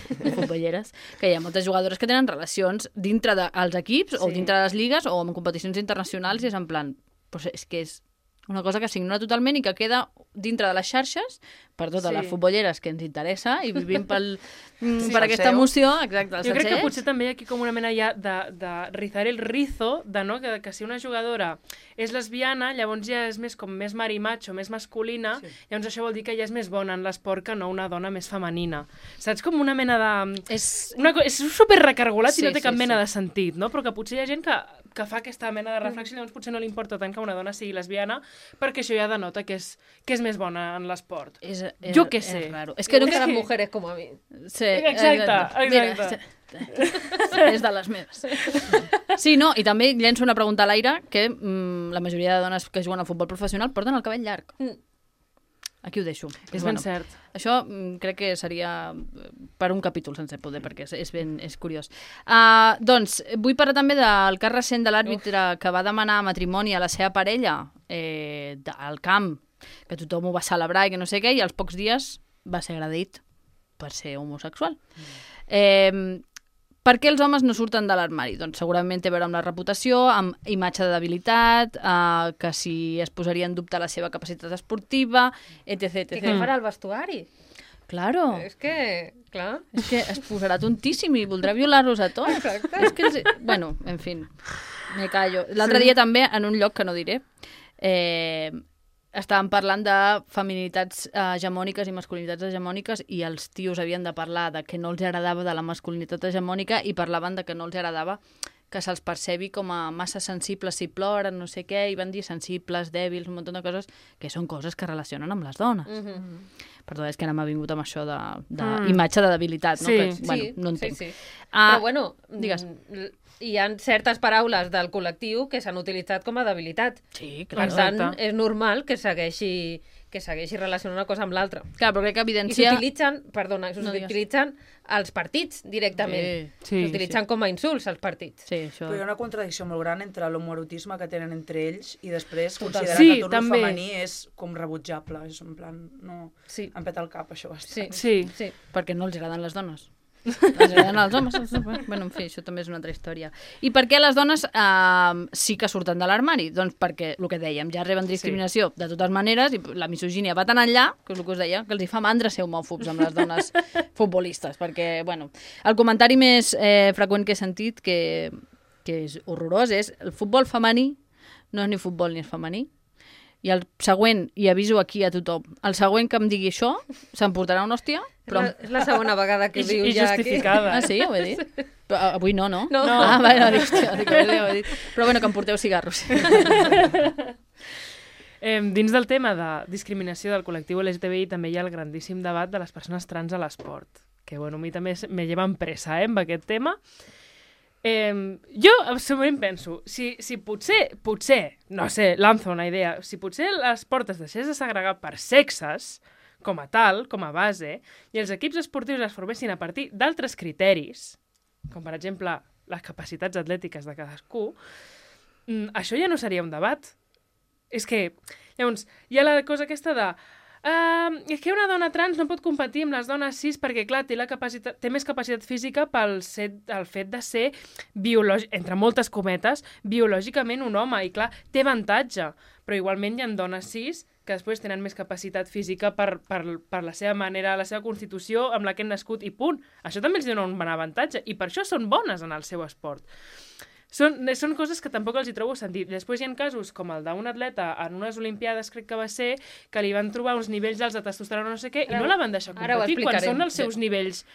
A: de futbolleres, que hi ha moltes jugadores que tenen relacions dintre dels equips o dintre de les lligues o en competicions internacionals i és en plan, pues és que és una cosa que s'ignora totalment i que queda dintre de les xarxes per totes les futbolleres que ens interessa i vivim per aquesta emoció. Exacte,
B: jo crec que potser també hi ha aquí com una mena ja de rizar el rizo, que si una jugadora és lesbiana, llavors ja és més com més marimacho, més masculina, llavors això vol dir que ja és més bona en l'esport que no una dona més femenina. Saps? Com una mena de... És superrecargolat i no té cap mena de sentit, no? Però que potser hi ha gent que fa aquesta mena de reflexió i llavors potser no li importa tant que una dona sigui lesbiana perquè això ja denota que és més bona en l'esport. Jo què sé.
C: És que no queden mujeres com a mi.
B: Sí, exacte.
A: Mira, és de les meves. Sí, no, i també llenço una pregunta a l'aire que la majoria de dones que juguen a futbol professional porten el cabell llarg. Aquí ho deixo.
B: És ben cert.
A: Això crec que seria per un capítol sense poder, perquè és curiós. Doncs, vull parlar també del cas recent de l'àrbitre que va demanar matrimoni a la seva parella al camp, que tothom ho va celebrar i que no sé què, i als pocs dies va ser agredit per ser homosexual. Per què els homes no surten de l'armari? Doncs segurament té a veure amb la reputació, amb imatge de debilitat, que si es posaria en dubte la seva capacitat esportiva, etc.
C: I què farà el vestuari?
A: Claro.
C: És que
A: es posarà tontíssim i voldrà violar-los a tots.
C: Exacte.
A: És que, bueno, en fin, me callo. L'altre dia també, en un lloc que no diré, estàvem parlant de feminitats hegemòniques i masculinitats hegemòniques i els tios havien de parlar de que no els agradava de la masculinitat hegemònica i parlaven de que no els agradava que se'ls percebi com a massa sensibles si ploren, no sé què, i van dir sensibles, dèbils, un munt de coses, que són coses que relacionen amb les dones. Perdó, és que ara m'ha vingut amb això d'imatge de debilitat, no?
C: Sí,
A: que, bueno, no entenc.
C: Sí. Però bueno,
A: digues.
C: Hi ha certes paraules del col·lectiu que s'han utilitzat com a debilitat.
A: Sí, clar.
C: Per tant, és normal que segueixi relacionant una cosa amb l'altra.
A: Clar, però crec que evidencia...
C: I s'utilitzen els partits directament. S'utilitzen com a insults als partits.
A: Sí, això...
E: Però hi ha una contradicció molt gran entre l'homoerotisme que tenen entre ells i després considerar que tot el femení és com rebutjable. És en plan, no... Em peta el cap, això bastant.
A: Sí, perquè no els agraden les dones. Els agraden els homes. Bueno, en fi, això també és una altra història. I per què les dones sí que surten de l'armari? Doncs perquè, el que dèiem, ja reben discriminació de totes maneres i la misogínia va tan enllà, que és el que us deia, que els hi fa mandra ser homòfobs amb les dones futbolistes, perquè, bueno, el comentari més freqüent que he sentit, que és horrorós, és el futbol femení no és ni futbol ni és femení. I el següent, i aviso aquí a tothom, el següent que em digui això, s'emportarà una hòstia. Però...
C: És la segona vegada que ho diu ja aquí.
B: justificada.
A: Sí, ho he dit? Però avui no. Vale, hòstia, ho he dit. Però bueno, que em porteu cigarros.
B: Dins del tema de discriminació del col·lectiu LGTBI també hi ha el grandíssim debat de les persones trans a l'esport, que bueno, a mi també me lleva pressa amb aquest tema. Jo absolutament penso, si potser, no sé, lanzo una idea, si potser l'esport es deixés de segregar per sexes, com a tal, com a base, i els equips esportius es formessin a partir d'altres criteris, com per exemple les capacitats atlètiques de cadascú, això ja no seria un debat. És que, llavors, hi ha la cosa aquesta de És que una dona trans no pot competir amb les dones cis perquè, clar, té més capacitat física pel fet de ser, entre moltes cometes, biològicament un home. I, clar, té avantatge. Però igualment hi ha dones cis que després tenen més capacitat física per la seva manera, la seva constitució amb la que han nascut i punt. Això també els dona un bon avantatge i per això són bones en el seu esport. Són coses que tampoc els hi trobo sentit. Després hi ha casos com el d'un atleta en unes Olimpiades, crec que va ser, que li van trobar uns nivells alts de testosterona no sé què i no la van deixar competir quan són els seus nivells.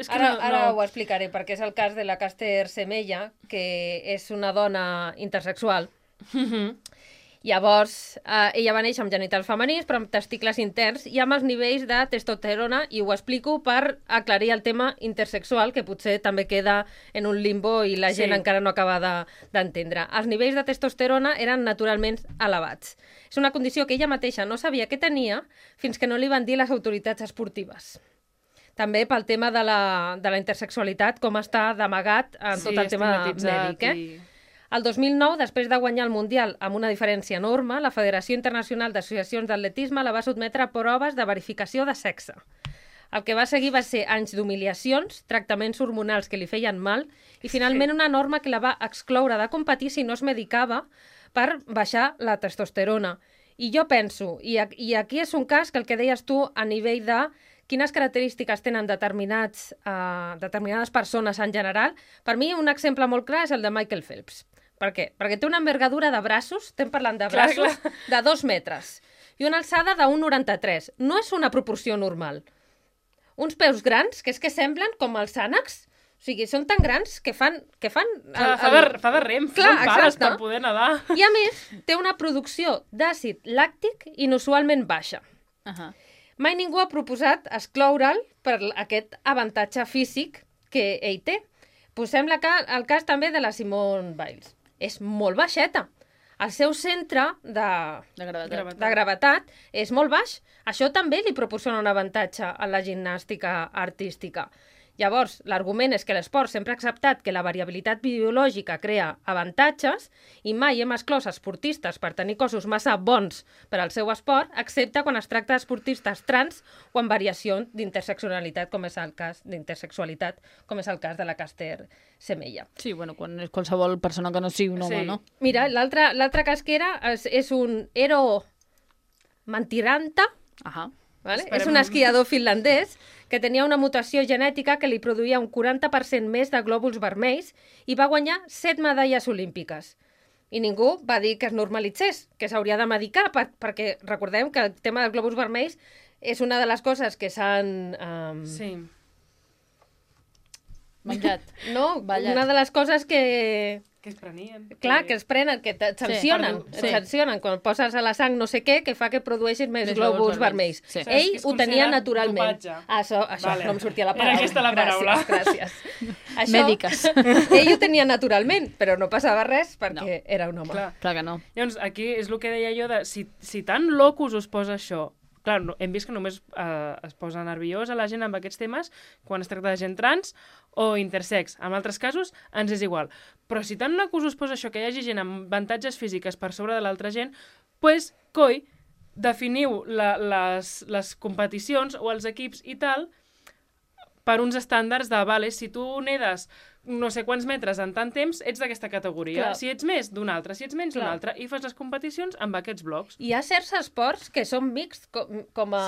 C: Ara ho explicaré, perquè és el cas de la Caster Semenya, que és una dona intersexual. Llavors, ella va néixer amb genitals femenins, però amb testicles interns i amb els nivells de testosterona, i ho explico per aclarir el tema intersexual, que potser també queda en un limbo i la gent encara no acaba d'entendre. Els nivells de testosterona eren naturalment elevats. És una condició que ella mateixa no sabia que tenia fins que no li van dir les autoritats esportives. També pel tema de la intersexualitat, com està d'amagat en tot el tema mèdic. El 2009, després de guanyar el Mundial amb una diferència enorme, la Federació Internacional d'Associacions d'Atletisme la va sotmetre a proves de verificació de sexe. El que va seguir va ser anys d'humiliacions, tractaments hormonals que li feien mal i finalment una norma que la va excloure de competir si no es medicava per baixar la testosterona. I jo penso, i aquí és un cas que el que deies tu a nivell de quines característiques tenen determinades persones en general, per mi un exemple molt clar és el de Michael Phelps. Per què? Perquè té una envergadura de braços, estem parlant de braços, de 2 metres i una alçada de 1,93. No és una proporció normal. Uns peus grans, que és que semblen com els ànecs, o sigui, són tan grans que fan...
B: Fa de rem, són pares per poder nedar.
C: I a més, té una producció d'àcid làctic inusualment baixa. Mai ningú ha proposat excloure'l per aquest avantatge físic que ell té. Posem el cas també de la Simone Biles. És molt baixeta. El seu centre de gravetat és molt baix. Això també li proporciona un avantatge a la gimnàstica artística. Llavors, l'argument és que l'esport sempre ha acceptat que la variabilitat biològica crea avantatges i mai hem exclòs esportistes per tenir cossos massa bons per al seu esport, excepte quan es tracta d'esportistes trans o amb variació d'intersexualitat, com és el cas de la Caster Semenya.
A: Sí, bueno, quan és qualsevol persona que no sigui un home, no?
C: Mira, l'altre cas que era és un Eero Mantiranta, ¿vale? És un esquiador finlandès que tenia una mutació genètica que li produïa un 40% més de glòbuls vermells i va guanyar 7 medalles olímpiques. I ningú va dir que es normalitzés, que s'hauria de medicar, perquè recordem que el tema dels glòbuls vermells és una de les coses que s'han...
A: menjat.
C: No, una de les coses que...
B: Que es prenien.
C: Clar, que es prenen, que et sancionen. Et sancionen quan poses a la sang no sé què, que fa que produeixis més glòbuls vermells. Ell ho tenia naturalment. Això, no em sortia la paraula.
B: Era aquesta la paraula.
C: Gràcies.
A: Mèdiques.
C: Ell ho tenia naturalment, però no passava res perquè era un home.
A: Clar que no.
B: Llavors, aquí és el que deia jo de si tan locus us posa això. Clar, hem vist que només es posa nerviosa la gent amb aquests temes quan es tracta de gent trans o intersex. En altres casos ens és igual. Però si tant locus us posa això, que hi hagi gent amb avantatges físiques per sobre de l'altra gent, doncs, coi, definiu les competicions o els equips i tal per uns estàndards de, vale, si tu nedes no sé quants metres en tant temps, ets d'aquesta categoria. Clar. Si ets més, d'una altra. Si ets menys, d'una altra. I fas les competicions amb aquests blocs.
C: Hi ha certs esports que són mixts, com a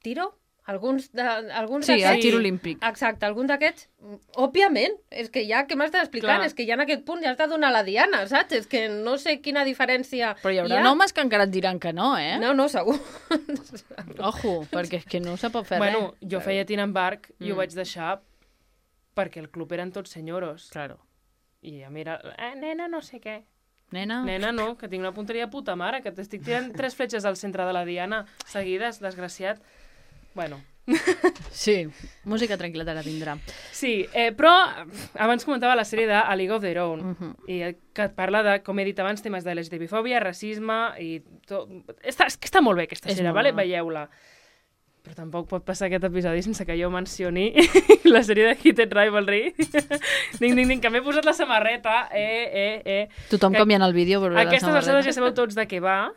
C: tiro. Alguns
A: sí, el tir olímpic.
C: Exacte, alguns d'aquests, òbviament, és que ja, què m'has d'explicar? És que ja en aquest punt ja has de donar la diana, saps? És que no sé quina diferència
A: Però hi haurà homes que encara et diran que no, eh?
C: No, segur.
A: Ojo, perquè és que no se pot fer res.
B: Bueno, jo feia tir en barc i ho vaig deixar perquè el club eren tots senyoros.
A: Claro.
B: I a mi era, nena no sé què.
A: Nena
B: no, que tinc una punteria puta mare, que t'estic tirant 3 fletxes al centre de la diana seguides, desgraciat. Bueno.
A: Sí, música tranquil·la ara tindrà.
B: Sí, però abans comentava la sèrie de A League of Their Own, i que parla de, com he dit abans, temes de LGTB-fòbia, racisme i tot. Està molt bé aquesta sèrie, vale? Veieu-la. Però tampoc pot passar aquest episodi sense que jo mencioni la sèrie de Heated Rivalry. Ding, que m'he posat la samarreta.
A: Tothom canviant el vídeo.
B: Aquestes alçades ja sabeu tots de què va.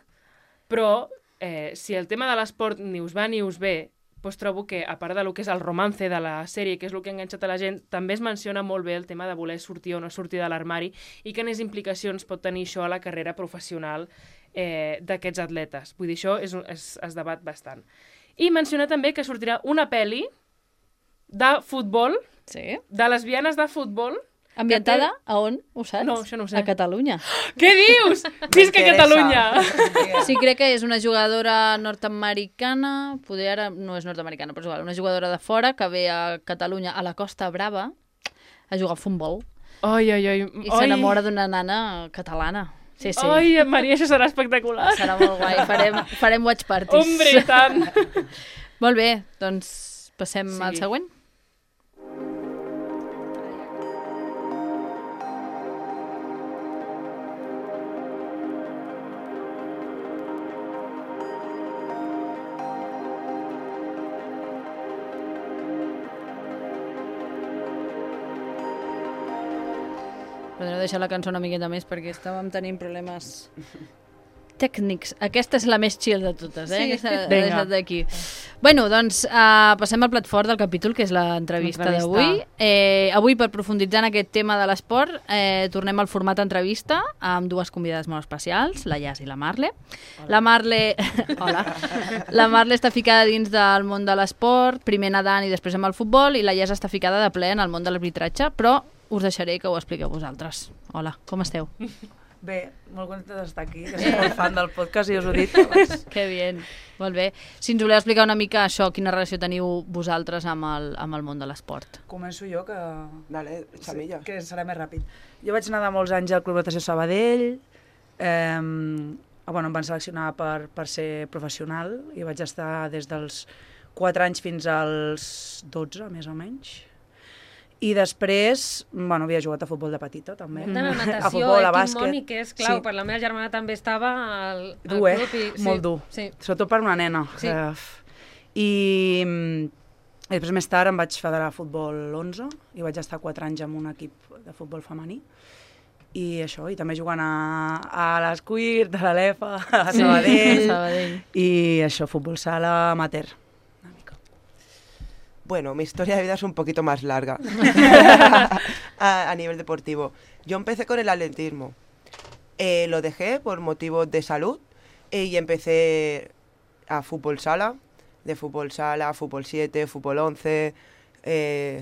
B: Però si el tema de l'esport ni us va ni us ve, doncs trobo que, a part del que és el romance de la sèrie, que és el que ha enganxat a la gent, també es menciona molt bé el tema de voler sortir o no sortir de l'armari i quines implicacions pot tenir això a la carrera professional d'aquests atletes. Vull dir, això es debat bastant. I menciona també que sortirà una pel·li de futbol, de lesbianes de futbol.
A: Ambientada a on? Ho saps?
B: No, això no ho sé.
A: A Catalunya.
B: Què dius? Visca Catalunya!
A: Sí, crec que és una jugadora nord-americana, poder ara no és nord-americana, però és igual, una jugadora de fora que ve a Catalunya, a la Costa Brava, a jugar al futbol.
B: Ai.
A: I s'enamora d'una nana catalana. Sí.
B: Ai, Maria, això serà espectacular.
A: Serà molt guai, farem watch parties.
B: Hombre, i tant!
A: Molt bé, doncs passem al següent. Podríem deixar la cançó una miqueta més perquè estàvem tenint problemes tècnics. Aquesta és la més chill de totes, eh?
B: Sí.
A: Aquesta l'he deixat d'aquí. Bueno, doncs passem al plat fort del capítol, que és l'entrevista d'avui. Avui, per profunditzar en aquest tema de l'esport, tornem al format entrevista amb dues convidades molt especials, la Yas i la Marle. La Marle... Hola. La Marle està ficada dins del món de l'esport, primer nedant i després amb el futbol, i la Yas està ficada de ple en el món de l'arbitratge, però us deixaré que ho expliqueu vosaltres. Hola, com esteu?
E: Bé, molt contenta d'estar aquí, que soc molt fan del podcast i us ho he dit.
A: Que bien, molt bé. Si ens voleu explicar una mica això, quina relació teniu vosaltres amb el món de l'esport?
E: Començo jo, que...
D: Dale, Xamilla.
E: Que serà més ràpid. Jo vaig nedar molts anys al Club Natació Sabadell, em van seleccionar per ser professional i vaig estar des dels 4 anys fins als 12, més o menys. I després, havia jugat a futbol de petita, també.
C: De la natació,
E: a futbol, a bàsquet.
C: Mònic, que és clau, per la meva germana també estava al
E: club. Molt dur. Sí. Sobretot per una nena. Sí. I després, més tard, em vaig federar a futbol 11 i vaig estar 4 anys amb un equip de futbol femení. I això, i també jugant a l'Escuir, de l'Alefa, a Sabadell. I això, futbol sala amateur.
D: Bueno, mi historia de vida es un poquito más larga a nivel deportivo. Yo empecé con el atletismo. Lo dejé por motivos de salud y empecé a fútbol sala, de fútbol sala, fútbol 7, fútbol 11,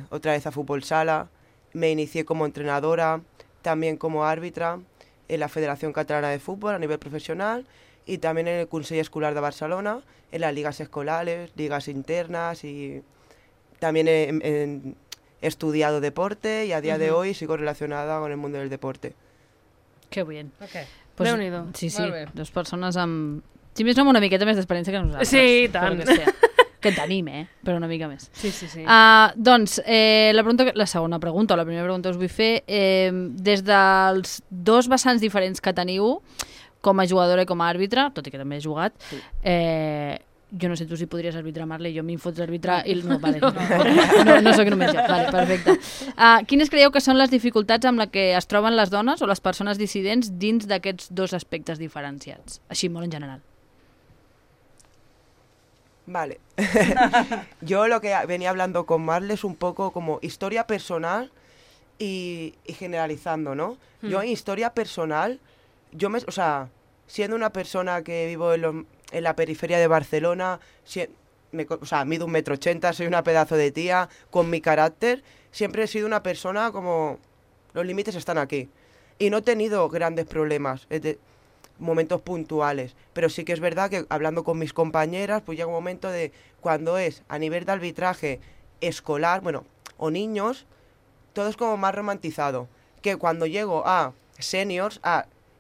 D: otra vez a fútbol sala. Me inicié como entrenadora, también como árbitra en la Federación Catalana de Fútbol a nivel profesional y también en el Consell Escolar de Barcelona, en las ligas escolares, ligas internas y... También he estudiado deporte y a día de hoy sigo relacionada con el mundo del deporte.
A: Que bien.
C: Okay.
A: Pues,
B: Déu-n'hi-do.
A: Sí, dos persones amb... Si més no, amb una miqueta més d'experiència que nosaltres.
B: Sí, tant.
A: Que tenim, però una mica més.
B: Sí.
A: Doncs, la segona pregunta, o la primera pregunta us vull fer, des dels dos vessants diferents que teniu, com a jugadora i com a àrbitre, tot i que també he jugat, jo no sé tu si podries arbitrar, Marle, jo m'hi fots arbitrar i... No, vale, no soc només jo. Vale, perfecte. Quines creieu que són les dificultats amb les que es troben les dones o les persones dissidents dins d'aquests dos aspectes diferenciats? Així, molt en general.
D: Vale. Yo lo que venía hablando con Marle es un poco como historia personal y generalizando, ¿no? Yo en historia personal, siendo una persona que vivo en la periferia de Barcelona, mido 1,80 m, soy una pedazo de tía, con mi carácter, siempre he sido una persona como... Los límites están aquí. Y no he tenido grandes problemas, momentos puntuales, pero sí que es verdad que hablando con mis compañeras, pues llega un momento de cuando es a nivel de arbitraje escolar, o niños, todo es como más romantizado. Que cuando llego a seniors,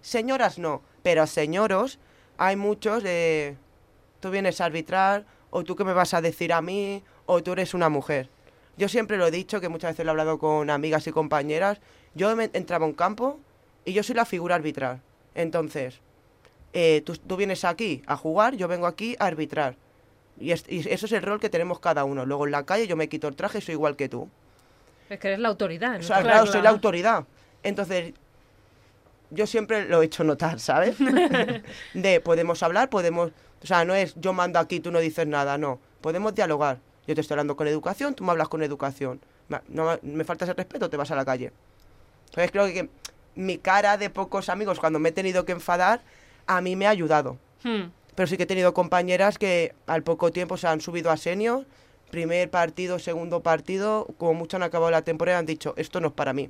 D: señoras no, pero señoros, hay muchos de, tú vienes a arbitrar, o tú qué me vas a decir a mí, o tú eres una mujer. Yo siempre lo he dicho, que muchas veces lo he hablado con amigas y compañeras, yo entraba a un campo y yo soy la figura arbitral. Entonces, tú vienes aquí a jugar, yo vengo aquí a arbitrar. Y eso es el rol que tenemos cada uno. Luego en la calle yo me quito el traje y soy igual que tú.
C: Es que eres la autoridad, ¿no?
D: Claro, soy la autoridad. Entonces... yo siempre lo he hecho notar, ¿sabes? De podemos hablar, podemos... O sea, no es yo mando aquí, tú no dices nada, no. Podemos dialogar. Yo te estoy hablando con educación, tú me hablas con educación. No me faltas el respeto, te vas a la calle. Entonces creo que mi cara de pocos amigos, cuando me he tenido que enfadar, a mí me ha ayudado. Pero sí que he tenido compañeras que al poco tiempo se han subido a senior, primer partido, segundo partido, como mucho han acabado la temporada y han dicho, esto no es para mí.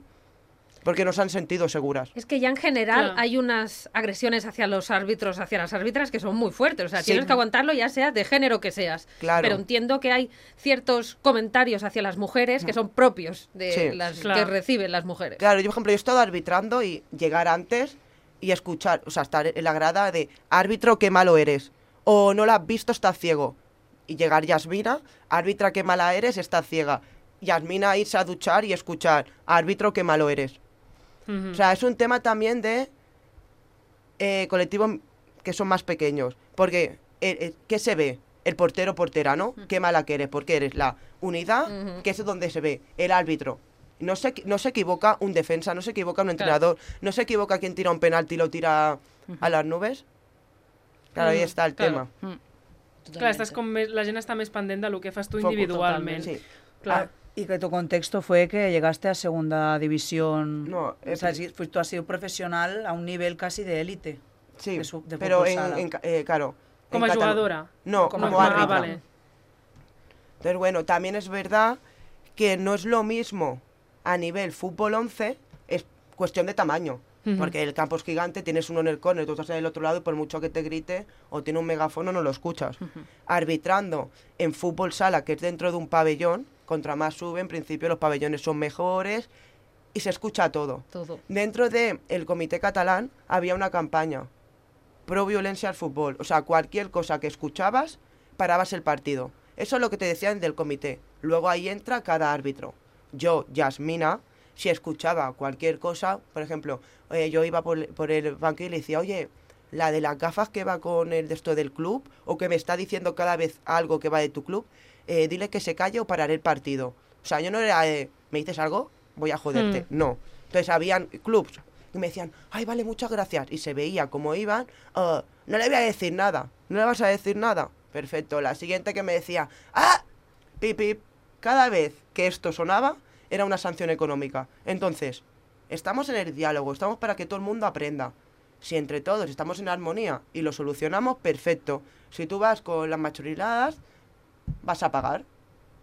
D: Porque no se han sentido seguras.
C: Es que ya en general hay unas agresiones hacia los árbitros, hacia las árbitras, que son muy fuertes. O sea, tienes que aguantarlo ya sea de género que seas.
D: Claro.
C: Pero entiendo que hay ciertos comentarios hacia las mujeres que son propios de que reciben las mujeres.
D: Claro, yo, por ejemplo, he estado arbitrando y llegar antes y escuchar, o sea, estar en la grada de árbitro, qué malo eres. O no la has visto, estás ciego. Y llegar Yasmina, árbitra, qué mala eres, estás ciega. Yasmina irse a duchar y escuchar, árbitro, qué malo eres. O sea, es un tema también de colectivos que son más pequeños. Porque, ¿qué se ve? El portero, portera, ¿no? Qué mala que eres, porque eres la unidad, que es donde se ve el árbitro. No se equivoca un defensa, no se equivoca un entrenador, no se equivoca quien tira un penalti y lo tira a las nubes. Claro, ahí está el tema.
B: Clar, la gent està més pendent del que fas tu individualment.
D: Sí.
B: Clar.
E: Y que tu contexto fue que llegaste a segunda división.
D: No,
E: o sea, tú has sido profesional a un nivel casi de élite.
D: Sí,
E: de
D: pero claro.
B: ¿Como jugadora?
D: No, como árbitra.
B: Vale.
D: Entonces, bueno, también es verdad que no es lo mismo a nivel fútbol 11, es cuestión de tamaño. Porque el campo es gigante, tienes uno en el córner, tú estás en el otro lado y por mucho que te grite o tiene un megáfono no lo escuchas. Arbitrando en fútbol sala, que es dentro de un pabellón, contra más sube, en principio los pabellones son mejores y se escucha todo. Dentro del comité catalán había una campaña pro violencia al fútbol. O sea, cualquier cosa que escuchabas, parabas el partido. Eso es lo que te decían del comité. Luego ahí entra cada árbitro. Yo, Yasmina, si escuchaba cualquier cosa, por ejemplo, yo iba por el banquillo y le decía, oye, la de las gafas que va con el de esto del club, o que me está diciendo cada vez algo que va de tu club, dile que se calle o pararé el partido. O sea, yo no era, ¿me dices algo? Voy a joderte. No. Entonces habían clubs y me decían, ay, vale, muchas gracias. Y se veía cómo iban, no le voy a decir nada. ¿No le vas a decir nada? Perfecto. La siguiente que me decía, ¡ah! Pip, pip. Cada vez que esto sonaba, era una sanción económica. Entonces, estamos en el diálogo, estamos para que todo el mundo aprenda. Si entre todos estamos en armonía y lo solucionamos, perfecto. Si tú vas con las machoriladas, vas a pagar.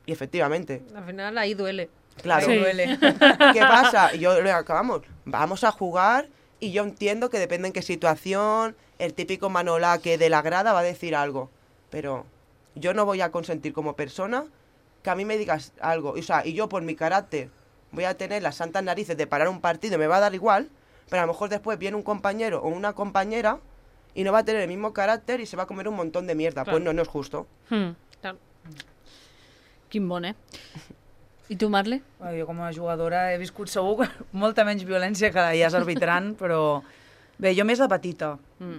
D: Y efectivamente.
C: Al final ahí duele.
D: Claro.
C: Sí. Duele.
D: ¿Qué pasa? Y yo le acabamos. Vamos a jugar y yo entiendo que depende en qué situación, el típico manolaque de la grada va a decir algo. Pero yo no voy a consentir como persona que a mí me digas algo. O sea, y yo por mi carácter voy a tener las santas narices de parar un partido y me va a dar igual, pero a lo mejor después viene un compañero o una compañera y no va a tener el mismo carácter y se va a comer un montón de mierda. Claro. Pues no es justo.
C: Claro.
A: Quin bon, I tu, Marle?
E: Jo com a jugadora he viscut segur molta menys violència que ja és arbitrant, però bé, jo més de petita.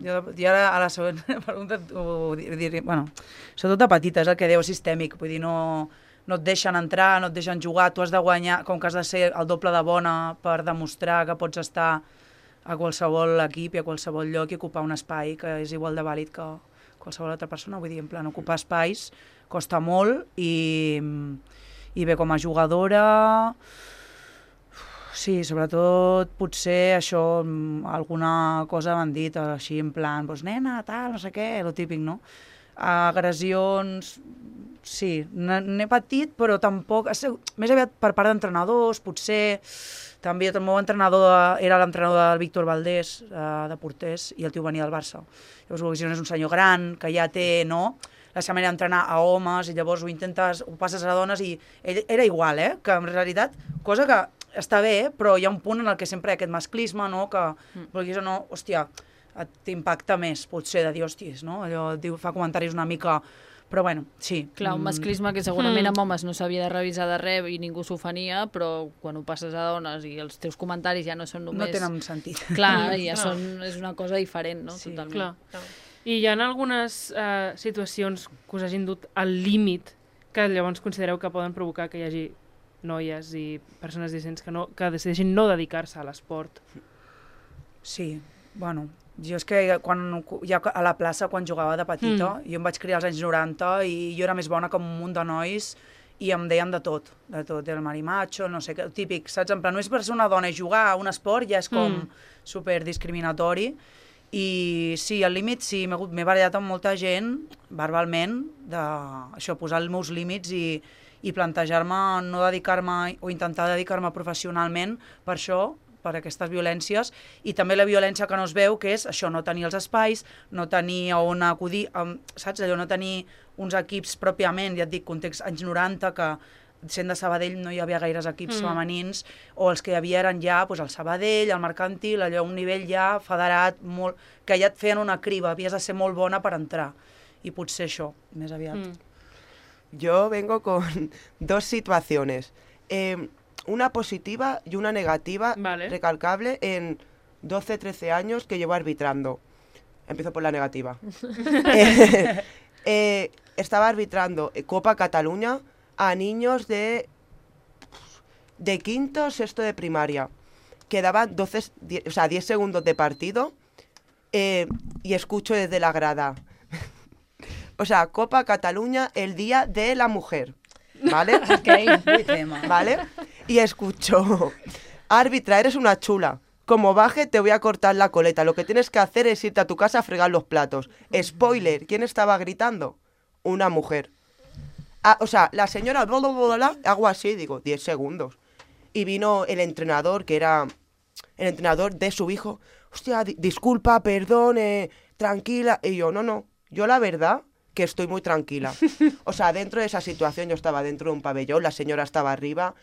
E: Jo ara a la següent pregunta ho diré, bueno, sobretot de petita, és el que deu sistèmic, vull dir, no et deixen entrar, no et deixen jugar, tu has de guanyar, com que has de ser el doble de bona per demostrar que pots estar a qualsevol equip i a qualsevol lloc i ocupar un espai que és igual de vàlid que qualsevol altra persona, vull dir, en plan, ocupar espais costa molt i bé, com a jugadora, sí, sobretot potser això, alguna cosa m'han dit així en plan, doncs nena, tal, no sé què, lo típic, no? Agressions, sí, n'he patit, però tampoc, més aviat per part d'entrenadors, potser, també el meu entrenador era l'entrenador del Víctor Valdés, de porters, i el tio venia del Barça. Llavors, és un senyor gran, que ja té, no?, la seva manera d'entrenar a homes, i llavors ho passes a dones, i ell era igual, que en realitat, cosa que està bé, però hi ha un punt en el que sempre hi ha aquest masclisme, no?, que, vulguis o no, hòstia, t'impacta més, potser, de dir, hòsties, no?, allò fa comentaris una mica... Però bueno, sí.
A: Clar, un masclisme que segurament amb homes no s'havia de revisar de res i ningú s'ofenia, però quan ho passes a dones i els teus comentaris ja no són només...
E: No tenen sentit.
A: Clar, ja és una cosa diferent, no?
E: Sí,
A: totalment.
B: Clar. I hi ha algunes situacions que us hagin dut al límit que llavors considereu que poden provocar que hi hagi noies i persones decents que decideixin no dedicar-se a l'esport?
E: Sí, bueno, jo és que ja a la plaça, quan jugava de petita, jo em vaig criar als anys 90 i jo era més bona que un munt de nois i em deien de tot, el marimacho, no sé què, típic, saps? En plan, només per ser una dona i jugar a un esport ja és com super discriminatori. I sí, al límit sí, m'he barallat amb molta gent, verbalment, això, posar els meus límits i plantejar-me no dedicar-me o intentar dedicar-me professionalment per això, per aquestes violències, i també la violència que no es veu, que és això, no tenir els espais, no tenir on acudir, saps? Allò, no tenir uns equips pròpiament, ja et dic, context anys 90, que sent de Sabadell no hi havia gaires equips femenins, o els que hi havia eren ja el Sabadell, el Mercantil, allò, un nivell ja federat, que ja et feien una criba, havies de ser molt bona per entrar, i potser això, més aviat.
D: Yo vengo con dos situaciones. Una positiva y una negativa, recalcable, en 12, 13 años que llevo arbitrando. Empiezo por la negativa. Estaba arbitrando Copa Cataluña a niños de quinto, sexto de primaria. Quedaban 10 segundos de partido y escucho desde la grada. O sea, Copa Cataluña, el Día de la Mujer. ¿Vale? ¿Vale? Y escucho, árbitra, eres una chula. Como baje te voy a cortar la coleta. Lo que tienes que hacer es irte a tu casa a fregar los platos. Spoiler, ¿quién estaba gritando? Una mujer. O sea, la señora, hago así, digo, 10 segundos. Y vino el entrenador, que era el entrenador de su hijo. Hostia, disculpa, perdón, tranquila. Y yo, no, yo la verdad que estoy muy tranquila. O sea, dentro de esa situación yo estaba dentro de un pabellón, la señora estaba arriba,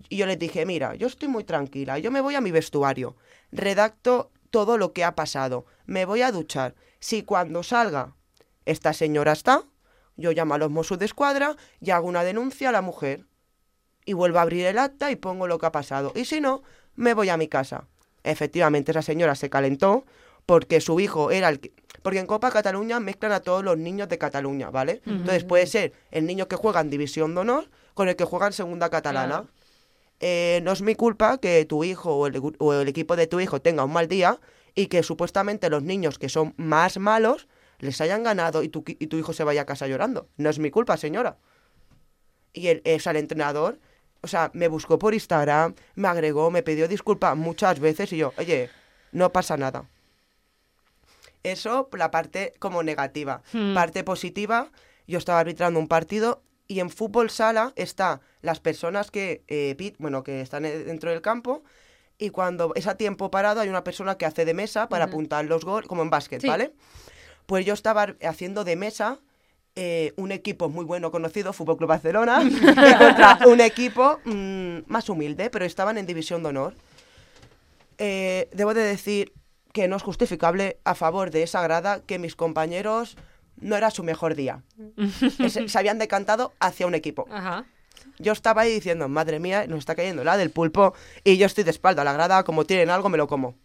D: y yo les dije, mira, yo estoy muy tranquila, yo me voy a mi vestuario, redacto todo lo que ha pasado, me voy a duchar. Si cuando salga esta señora está, yo llamo a los Mossos de Escuadra y hago una denuncia a la mujer. Y vuelvo a abrir el acta y pongo lo que ha pasado. Y si no, me voy a mi casa. Efectivamente, esa señora se calentó porque su hijo era el que... Porque en Copa Cataluña mezclan a todos los niños de Cataluña, ¿vale? Entonces puede ser el niño que juega en División de Honor con el que juega en Segunda Catalana. No es mi culpa que tu hijo o el equipo de tu hijo tenga un mal día y que supuestamente los niños que son más malos les hayan ganado y tu hijo se vaya a casa llorando. No es mi culpa, señora. Y el entrenador, o sea, me buscó por Instagram, me agregó, me pidió disculpas muchas veces y yo, oye, no pasa nada. Eso, la parte como negativa. Parte positiva, yo estaba arbitrando un partido y en fútbol sala están las personas que están dentro del campo y cuando es a tiempo parado hay una persona que hace de mesa para apuntar los goles, como en básquet, ¿vale? Pues yo estaba haciendo de mesa un equipo muy bueno conocido, Fútbol Club Barcelona, contra un equipo más humilde, pero estaban en División de Honor. Debo de decir que no es justificable a favor de esa grada que mis compañeros no era su mejor día. Se habían decantado hacia un equipo. Ajá. Yo estaba ahí diciendo, madre mía, nos está cayendo la del pulpo y yo estoy de espalda a la grada, como tienen algo me lo como.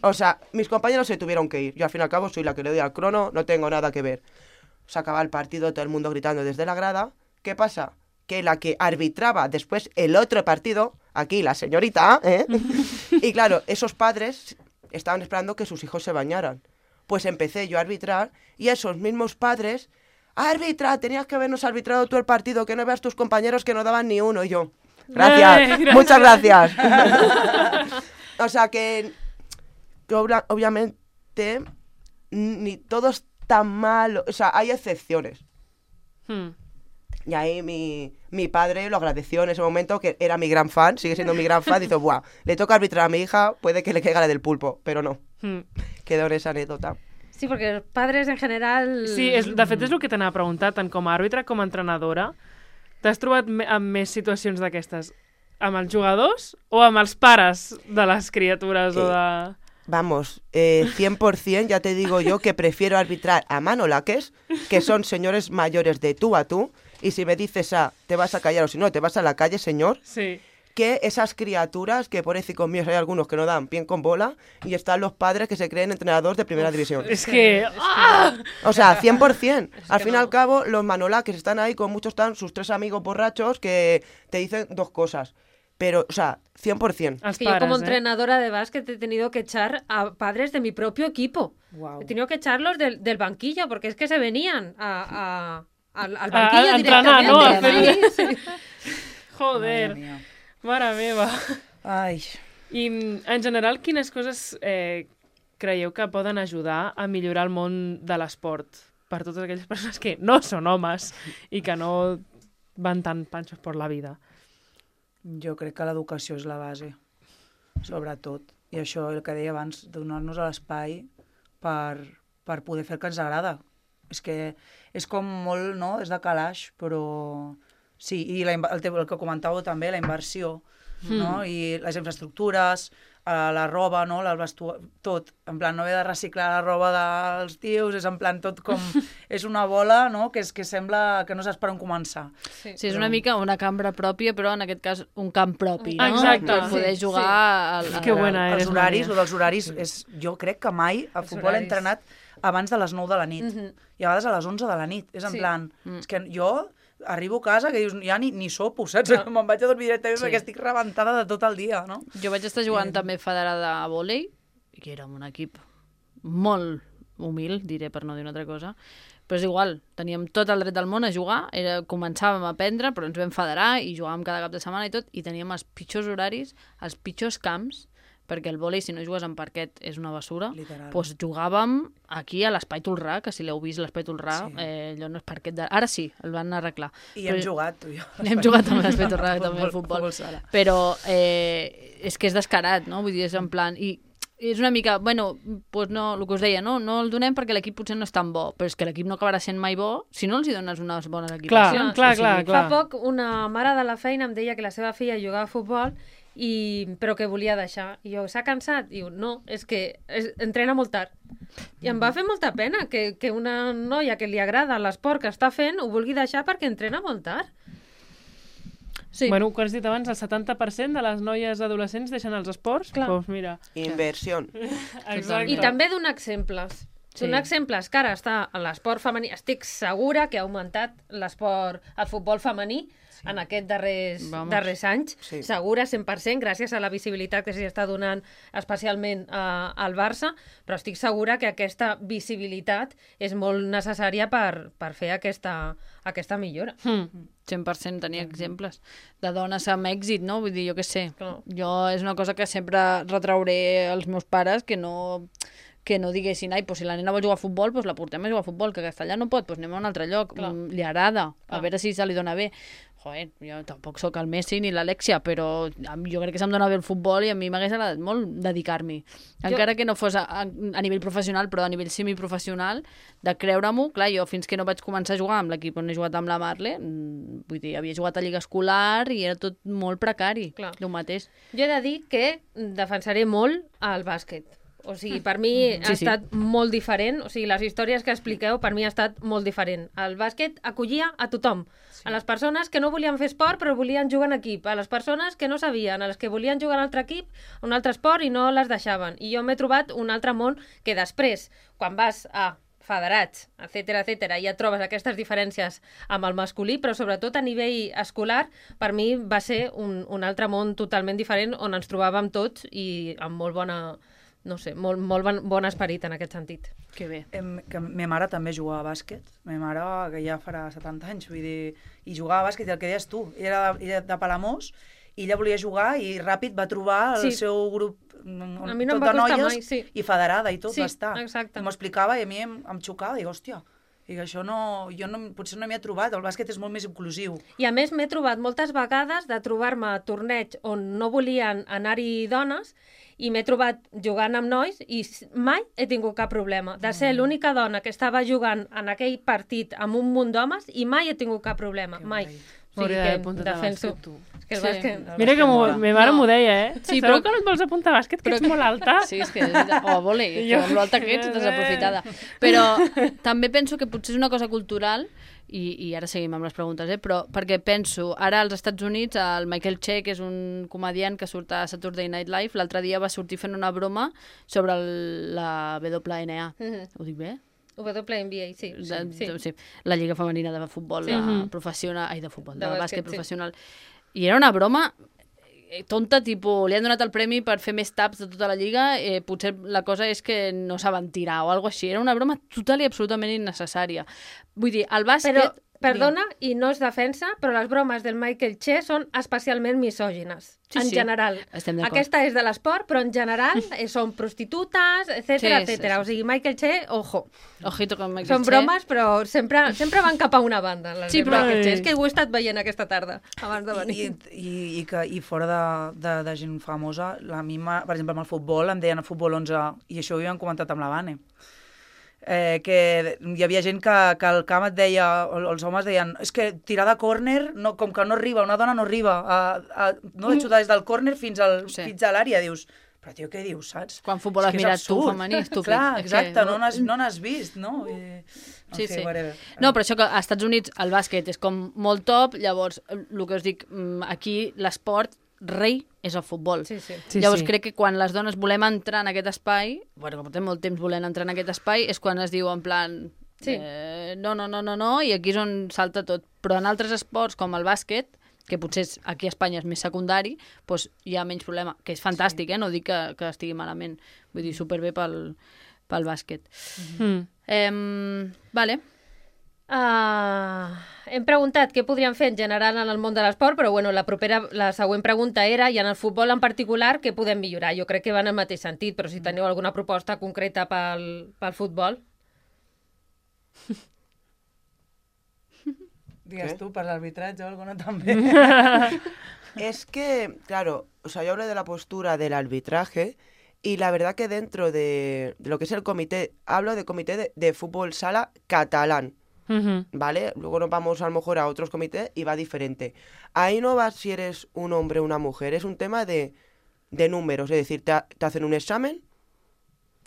D: O sea, mis compañeros se tuvieron que ir. Yo al fin y al cabo soy la que le doy al crono, no tengo nada que ver. Se acaba el partido, todo el mundo gritando desde la grada. ¿Qué pasa? Que la que arbitraba después el otro partido, aquí la señorita, y claro, esos padres estaban esperando que sus hijos se bañaran. Pues empecé yo a arbitrar y esos mismos padres, ¡arbitra! Tenías que habernos arbitrado tú el partido, que no veas tus compañeros que no daban ni uno. Y yo, gracias, muchas gracias. O sea que obviamente ni todo es tan malo, o sea, hay excepciones. Y ahí mi padre lo agradeció en ese momento, que era mi gran fan, sigue siendo mi gran fan, dice, buah, le toca arbitrar a mi hija, puede que le caiga la del pulpo, pero no. Quedó en esa anécdota.
C: Sí, perquè els padres en general...
B: Sí, de fet és el que t'anava a preguntar, tant com a àrbitre com a entrenadora. T'has trobat amb més situacions d'aquestes amb els jugadors o amb els pares de les criatures o de...
D: Vamos, 100% ya te digo yo que prefiero arbitrar a manolaques, que son señores mayores de tú a tú, y si me dices te vas a callar o si no, te vas a la calle, señor,
B: sí,
D: que esas criaturas, que pobrecicos míos hay algunos que no dan pie con bola, y están los padres que se creen entrenadores de primera división.
B: Es que...
D: O sea, 100%. Al fin y al cabo, los manolaques están ahí, con muchos están sus 3 amigos borrachos que te dicen 2 cosas. pero, o sea, 100%.
C: Es que yo como entrenadora de básquet he tenido que echar a padres de mi propio equipo. Wow. He tenido que echarlos del banquillo, porque es que se venían al banquillo directamente.
B: ¿no? Sí. Joder, mare meva.
E: Ai.
B: I, en general, quines coses creieu que poden ajudar a millorar el món de l'esport per totes aquelles persones que no són homes i que no van tan panxos per la vida?
E: Jo crec que l'educació és la base, sobretot. I això, el que deia abans, donar-nos l'espai per poder fer el que ens agrada. És que és com molt, no?, és de calaix, però sí, i el que comentàveu també, la inversió, no? I les infraestructures, la roba, no? Tot. En plan, no haver de reciclar la roba dels tios, és en plan tot com... és una bola, no?, que sembla que no saps per on començar.
A: Sí, és una mica una cambra pròpia, però en aquest cas un camp propi, no?
B: Exacte.
A: Per poder jugar...
B: Que bona eres,
E: els horaris, o dels horaris, jo crec que mai a futbol he entrenat abans de les 9 de la nit. I a vegades a les 11 de la nit. És en plan... És que jo arribo a casa que dius, ja ni sopo, saps? Me'n vaig a dormir directament perquè estic rebentada de tot el dia, no?
A: Jo vaig estar jugant també federada a vòlei, que era un equip molt humil, diré per no dir una altra cosa, però és igual, teníem tot el dret del món a jugar, començàvem a aprendre, però ens vam federar i jugàvem cada cap de setmana i tot, i teníem els pitjors horaris, els pitjors camps, perquè el vòlei, si no jugues en parquet, és una basura. Doncs jugàvem aquí a l'Espai Tolrà, que si l'heu vist, l'Espai Tolrà, allò no és parquet de... Ara sí, el van arreglar.
E: I hem jugat, tu i jo.
A: Hem jugat amb l'Espai Tolrà, també al futbol. Però és que és descarat, no? Vull dir, és en plan... I és una mica, bueno, doncs no, el que us deia, no el donem perquè l'equip potser no és tan bo, però és que l'equip no acabarà sent mai bo si no els hi dones unes bones equipacions.
B: Clar.
C: Fa poc una mare de la feina em deia que la seva filla jugava a futbol però que volia deixar. I jo, s'ha cansat? Diu, no, és que entrena molt tard. I em va fer molta pena que una noia que li agrada l'esport que està fent ho vulgui deixar perquè entrena molt tard.
B: Sí. Bueno, com has dit abans, el 70% de les noies adolescents deixen els esports. Doncs mira.
D: Inversió.
B: Exacte.
C: I també donar exemples. Donar exemples que ara està en l'esport femení. Estic segura que ha augmentat l'esport, el futbol femení, en aquests darrers anys, segura 100%, gràcies a la visibilitat que s'hi està donant especialment al Barça, però estic segura que aquesta visibilitat és molt necessària per fer aquesta millora.
A: 100% tenia exemples de dones amb èxit, no? Vull dir, jo què sé. Jo és una cosa que sempre retrauré als meus pares, que no diguessin, ai, si la nena vol jugar a futbol, la portem a jugar a futbol, que a Castellà no pot, anem a un altre lloc, li agrada, a veure si se li dona bé. Joder, jo tampoc sóc el Messi ni l'Alexia, però jo crec que se'm dona bé el futbol i a mi m'hagués agradat molt dedicar-m'hi. Encara que no fos a nivell professional, però a nivell semiprofessional, de creure-m'ho. Clar, jo fins que no vaig començar a jugar amb l'equip on he jugat amb la Marle, vull dir, havia jugat a Lliga Escolar i era tot molt precari, el mateix.
C: Jo he de dir que defensaré molt el bàsquet. O sigui, per mi ha estat molt diferent. O sigui, les històries que expliqueu per mi ha estat molt diferent. El bàsquet acollia a tothom. A les persones que no volien fer esport però volien jugar en equip. A les persones que no sabien, a les que volien jugar en un altre equip, un altre esport i no les deixaven. I jo m'he trobat un altre món que després, quan vas a federats, etc, ja trobes aquestes diferències amb el masculí, però sobretot a nivell escolar, per mi va ser un altre món totalment diferent on ens trobàvem tots i amb molt bona... no sé, molt bon esperit en aquest sentit.
A: Que bé.
E: Que ma mare també jugava a bàsquet. Ma mare, que ja farà 70 anys, vull dir, i jugava a bàsquet, i el que deies tu, era de Palamós, i ella volia jugar i ràpid va trobar el seu grup
C: a mi no tot de noies mai,
E: i federada i tot va estar.
C: Exacte.
E: I m'ho explicava i a mi em xocava, dic, hòstia, i això potser no m'hi he trobat, el bàsquet és molt més inclusiu.
C: I a més m'he trobat moltes vegades de trobar-me a torneig on no volien anar-hi dones i m'he trobat jugant amb nois i mai he tingut cap problema. De ser l'única dona que estava jugant en aquell partit amb un munt d'homes i mai he tingut cap problema, mai.
B: O sigui que defenso.
C: Que el bàsquet...
B: Mira que ma mare m'ho deia, Sí, però que no et vols apuntar a bàsquet, que ets molt alta.
A: Sí, és que... O a vòlei, amb l'alta que ets, desaprofitada. Però també penso que potser és una cosa cultural, i ara seguim amb les preguntes, però perquè penso, ara als Estats Units, el Michael Che, que és un comediant que surt a Saturday Night Live, l'altre dia va sortir fent una broma sobre la WNA. Ho dic bé?
C: WNBA, sí.
A: La Lliga Femenina de Futbol professional, de bàsquet professional. I era una broma tonta, tipus, li han donat el premi per fer més taps de tota la lliga, potser la cosa és que no saben tirar o alguna així. Era una broma total i absolutament innecessària. Vull dir, el bàsquet...
C: Però, perdona, i no és defensa, però les bromes del Michael Che són especialment misògines, en general. Aquesta és de l'esport, però en general són prostitutes, etcètera. O sigui, Michael Che, ojo.
A: Ojito con Michael Che.
C: Són bromes, però sempre van cap a una banda. Sí, però Michael Che. És que ho he estat veient aquesta tarda, abans de venir.
E: I fora de gent famosa, a mi, per exemple, amb el futbol, em deien a Futbol 11, i això ho havíem comentat amb la Vane, que hi havia gent que al camp et deia, els homes deien, és que tirar de córner, com que no arriba, una dona no arriba no de xutar des del córner fins a l'àrea, dius, però tio, què dius, saps?
A: Quan futbol has mirat tu, femení, estúpid.
E: Clar, exacte, no n'has vist, no?
A: Sí. No, però això que als Estats Units el bàsquet és com molt top, llavors, el que us dic, aquí l'esport rei és el futbol. Llavors crec que quan les dones volem entrar en aquest espai, bueno, com portem molt temps volent entrar en aquest espai, és quan es diu en plan no, i aquí és on salta tot. Però en altres esports com el bàsquet, que potser aquí a Espanya és més secundari, doncs hi ha menys problema, que és fantàstic, no dic que estigui malament, vull dir, superbé pel bàsquet. Vale.
C: Hem preguntat què podríem fer en general en el món de l'esport, però bueno, la següent pregunta era, i en el futbol en particular, què podem millorar? Jo crec que va en el mateix sentit, però si teniu alguna proposta concreta pel futbol.
E: Digues tu, per l'arbitratge o alguna també.
D: Es que, claro, o sea, yo hablo de la postura del arbitraje y la verdad que dentro de lo que es el comité, hablo de comité de fútbol sala catalán. ¿Vale? Luego nos vamos a lo mejor a otros comités y va diferente. Ahí no va si eres un hombre o una mujer, es un tema de números, es decir, te hacen un examen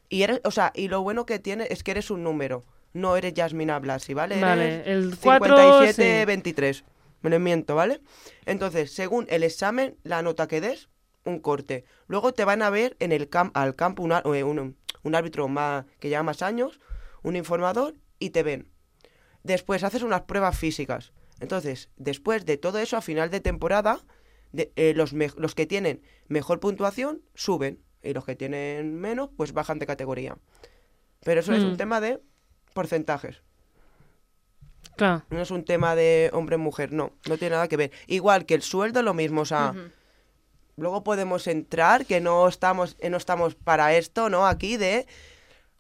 D: y y lo bueno que tiene es que eres un número, no eres Yasmina Blasi, ¿vale?
B: Vale,
D: eres
B: el 4,
D: 23, me lo invento, ¿vale? Entonces, según el examen, la nota que des, un corte. Luego te van a ver en al campo un árbitro que lleva más años, un informador, y te ven. Después haces unas pruebas físicas. Entonces, después de todo eso, a final de temporada, los que tienen mejor puntuación suben. Y los que tienen menos, pues bajan de categoría. Pero eso es un tema de porcentajes.
B: Claro.
D: No es un tema de hombre-mujer, no tiene nada que ver. Igual que el sueldo, lo mismo, o sea... Luego podemos entrar, que no estamos para esto, ¿no? Aquí de...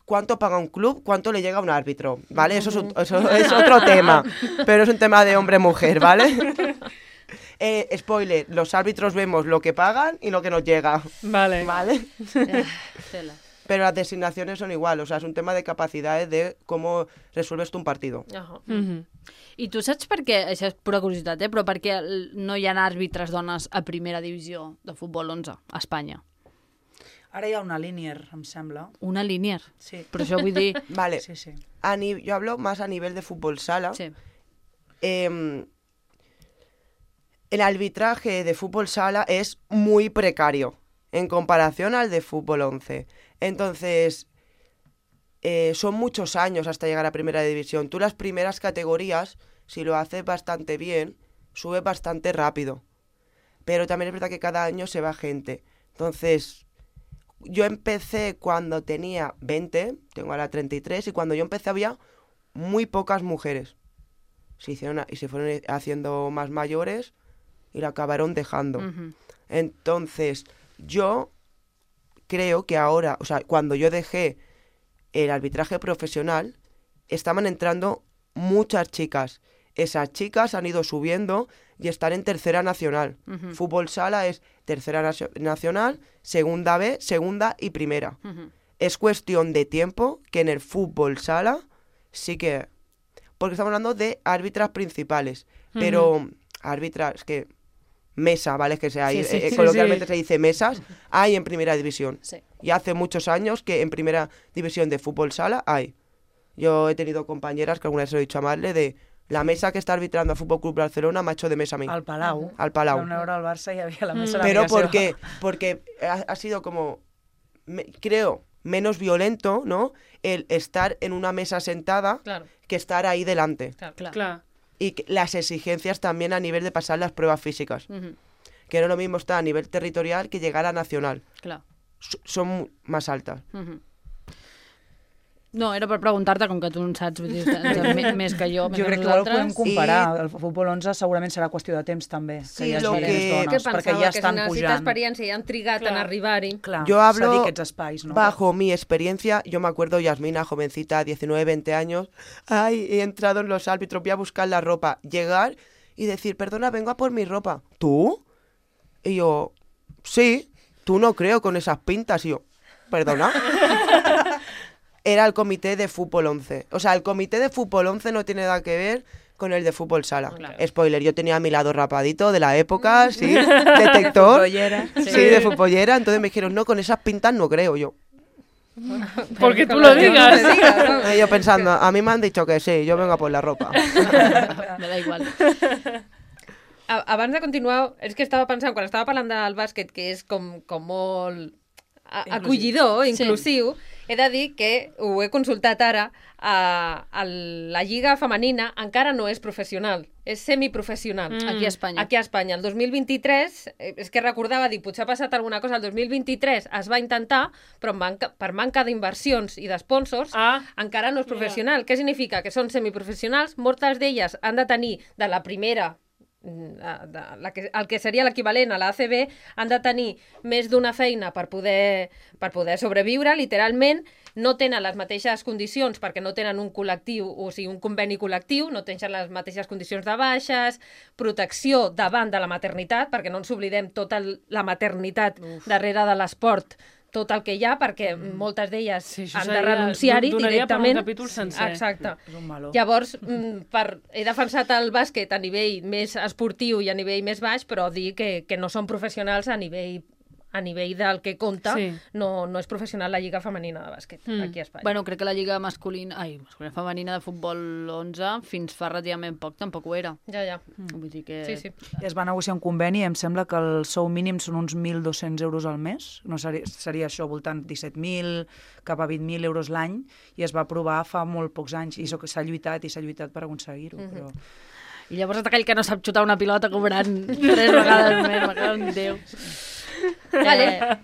D: ¿Cuánto paga un club? ¿Cuánto le llega a un árbitro? ¿Vale? Eso es otro tema. Pero es un tema de hombre-mujer, ¿vale? Spoiler, los árbitros vemos lo que pagan y lo que nos llega.
B: Vale.
D: Pero las designaciones son igual, o sea, es un tema de capacidades de cómo resuelves tú un partido.
A: I tu saps per què, això és pura curiositat, però per què no hi ha àrbitres dones a primera divisió de futbol 11 a Espanya?
E: Ara hi ha una Linier, em sembla.
A: Una Linier?
E: Sí.
A: Però això vull dir...
D: Vale.
E: Sí.
D: Yo hablo más a nivel de fútbol sala.
A: Sí.
D: El arbitraje de fútbol sala es muy precario en comparación al de fútbol 11. Entonces, son muchos años hasta llegar a primera división. Tú las primeras categorías, si lo haces bastante bien, subes bastante rápido. Pero también es verdad que cada año se va gente. Entonces... Yo empecé cuando tenía 20, tengo ahora 33, y cuando yo empecé había muy pocas mujeres. Y se fueron haciendo más mayores y la acabaron dejando. Entonces, yo creo que ahora, o sea, cuando yo dejé el arbitraje profesional, estaban entrando muchas chicas. Esas chicas han ido subiendo y están en tercera nacional. Fútbol sala es tercera nacional, segunda B, segunda y primera. Es cuestión de tiempo que en el fútbol sala sí que... Porque estamos hablando de árbitras principales, pero árbitras que... Mesa, ¿vale? Que coloquialmente se dice mesas, hay en primera división. Sí. Y hace muchos años que en primera división de fútbol sala hay. Yo he tenido compañeras que alguna vez se lo he dicho a Marle de... La mesa que está arbitrando al Fútbol Club Barcelona m'ha hecho de mesa a mí.
E: Al Palau.
D: Al Palau.
E: Vam veure al Barça y había la mesa.
D: Pero porque ha sido como, creo, menos violento, ¿no? El estar en una mesa sentada que estar ahí delante.
B: Claro.
D: Y las exigencias también a nivel de pasar las pruebas físicas. que no es lo mismo estar a nivel territorial que llegar a nacional.
A: Clar.
D: Son más altas.
A: No, era per preguntar-te, com que tu en saps, vull dir, més que jo.
E: Jo crec que ho podem comparar. El futbol 11 segurament serà qüestió de temps, també.
D: Sí,
E: que
D: lo que...
E: perquè ja estan pujant.
C: Que experiencia, ya han trigat en arribar-hi.
D: Yo hablo
E: espais, ¿no?
D: bajo mi experiencia. Yo me acuerdo, Yasmina, jovencita, 19, 20 años. Ay, he entrado en los árbitros, voy a buscar la ropa. Llegar y decir, perdona, vengo a por mi ropa. ¿Tú? Y yo, sí, tú no creo con esas pintas. Y yo, perdona. Era el comité de fútbol 11. O sea, el comité de fútbol 11 no tiene nada que ver con el de fútbol sala. Claro. Spoiler, yo tenía a mi lado rapadito de la época, sí, detector. Sí, de futbolera. Entonces me dijeron, no, con esas pintas no creo yo.
B: Porque tú lo digas.
D: Yo pensando, a mí me han dicho que sí, yo vengo a por la ropa.
A: Me da igual.
C: Abans de continuar, és que estava pensant, quan estava parlant del bàsquet, que és com molt acollidor, inclusiu, he de dir que ho he consultat ara, la lliga femenina encara no és professional, és semiprofessional.
A: Aquí a Espanya.
C: Aquí a Espanya. El 2023, és que recordava, dic, potser ha passat alguna cosa, el 2023 es va intentar, però per manca d'inversions i d'esponsors, encara no és professional. Què significa? Que són semiprofessionals, moltes d'elles han de tenir de la primera, el que seria l'equivalent a l'ACB, han de tenir més d'una feina per poder sobreviure, literalment. No tenen les mateixes condicions perquè no tenen un col·lectiu, o sigui, un conveni col·lectiu, no tenen les mateixes condicions de baixes, protecció davant de la maternitat, perquè no ens oblidem tota la maternitat darrere de l'esport, tot el que hi ha, perquè moltes d'elles han de renunciar-hi directament.
B: Donaria per un capítol sencer.
C: Exacte. Llavors, he defensat el bàsquet a nivell més esportiu i a nivell més baix, però dir que no són professionals a nivell del que compta, no és professional la lliga femenina de bàsquet aquí a Espanya.
A: Bueno, crec que la lliga femenina de futbol 11 fins fa relativament poc tampoc ho era.
C: Ja.
A: Vull dir que...
C: Sí.
E: Es va negociar un conveni i em sembla que el sou mínim són uns 1.200 euros al mes. No seria això, voltant 17.000 cap a 20.000 euros l'any, i es va aprovar fa molt pocs anys, i s'ha lluitat per aconseguir-ho, però...
A: I llavors aquell que no sap xutar una pilota cobrant 3 vegades més, me cago en Déu.
C: Vale.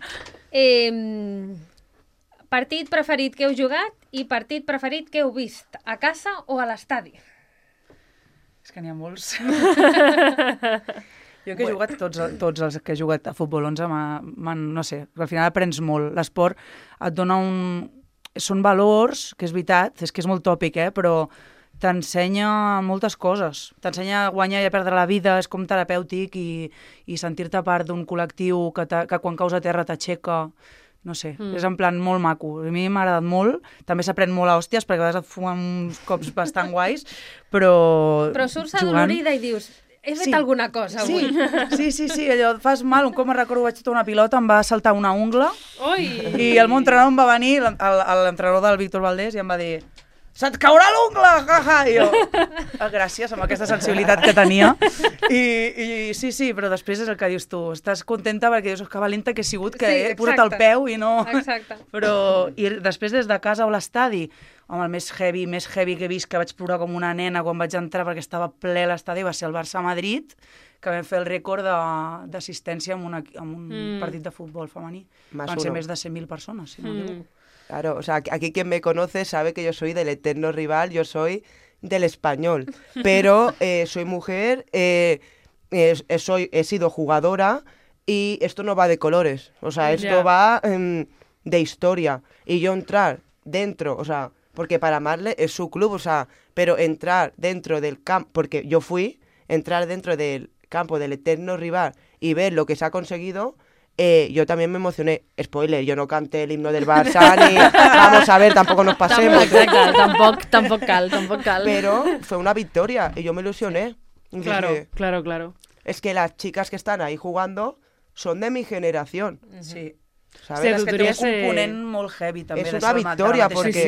C: Partit preferit que heu jugat i partit preferit que heu vist, a casa o a l'estadi?
E: És que n'hi ha molts. Jo que he jugat, tots els que he jugat a futbol 11, no sé, al final aprens molt. L'esport et dona són valors, que és veritat, és que és molt tòpic, però t'ensenya moltes coses. T'ensenya a guanyar i a perdre la vida, és com terapèutic, i sentir-te part d'un col·lectiu que quan caus a terra t'aixeca. No sé, és en plan molt maco. A mi m'ha agradat molt. També s'aprèn molt a hòsties, perquè a vegades et fumen uns cops bastant guais, però...
C: Però surts adolorida i dius... He fet alguna cosa avui.
E: Sí, allò fas mal. Un cop me'n recordo, vaig xutar una pilota, em va saltar una ungla, i el meu entrenador em va venir, l'entrenador del Víctor Valdés, i em va dir: se't caurà l'ungla, jaja! I jo, gràcies, amb aquesta sensibilitat que tenia. I sí, però després és el que dius tu. Estàs contenta perquè dius que valenta que he sigut, que he posat el peu i no...
C: Exacte.
E: I després des de casa o l'estadi, home, el més heavy que he vist, que vaig plorar com una nena quan vaig entrar perquè estava ple l'estadi, va ser el Barça-Madrid, que vam fer el rècord d'assistència en un partit de futbol femení. Van ser més de 100.000 persones, si no m'equivoco.
D: Claro, o sea, aquí quien me conoce sabe que yo soy del eterno rival, yo soy del Español, pero soy mujer, he sido jugadora, y esto no va de colores, o sea, esto va de historia, y yo entrar dentro, o sea, porque para Marle es su club, o sea, pero entrar dentro del campo, porque yo entrar dentro del campo del eterno rival y ver lo que se ha conseguido... yo también me emocioné. Spoiler, yo no canté el himno del Barça ni vamos a ver, tampoco nos pasemos.
A: Tampoc cal.
D: Pero fue una victoria y yo me ilusioné.
B: Claro.
D: Es que las chicas que están ahí jugando son de mi generación.
E: Sí.
D: ¿Sabes?
E: És que té un component molt heavy també.
D: És una victòria perquè...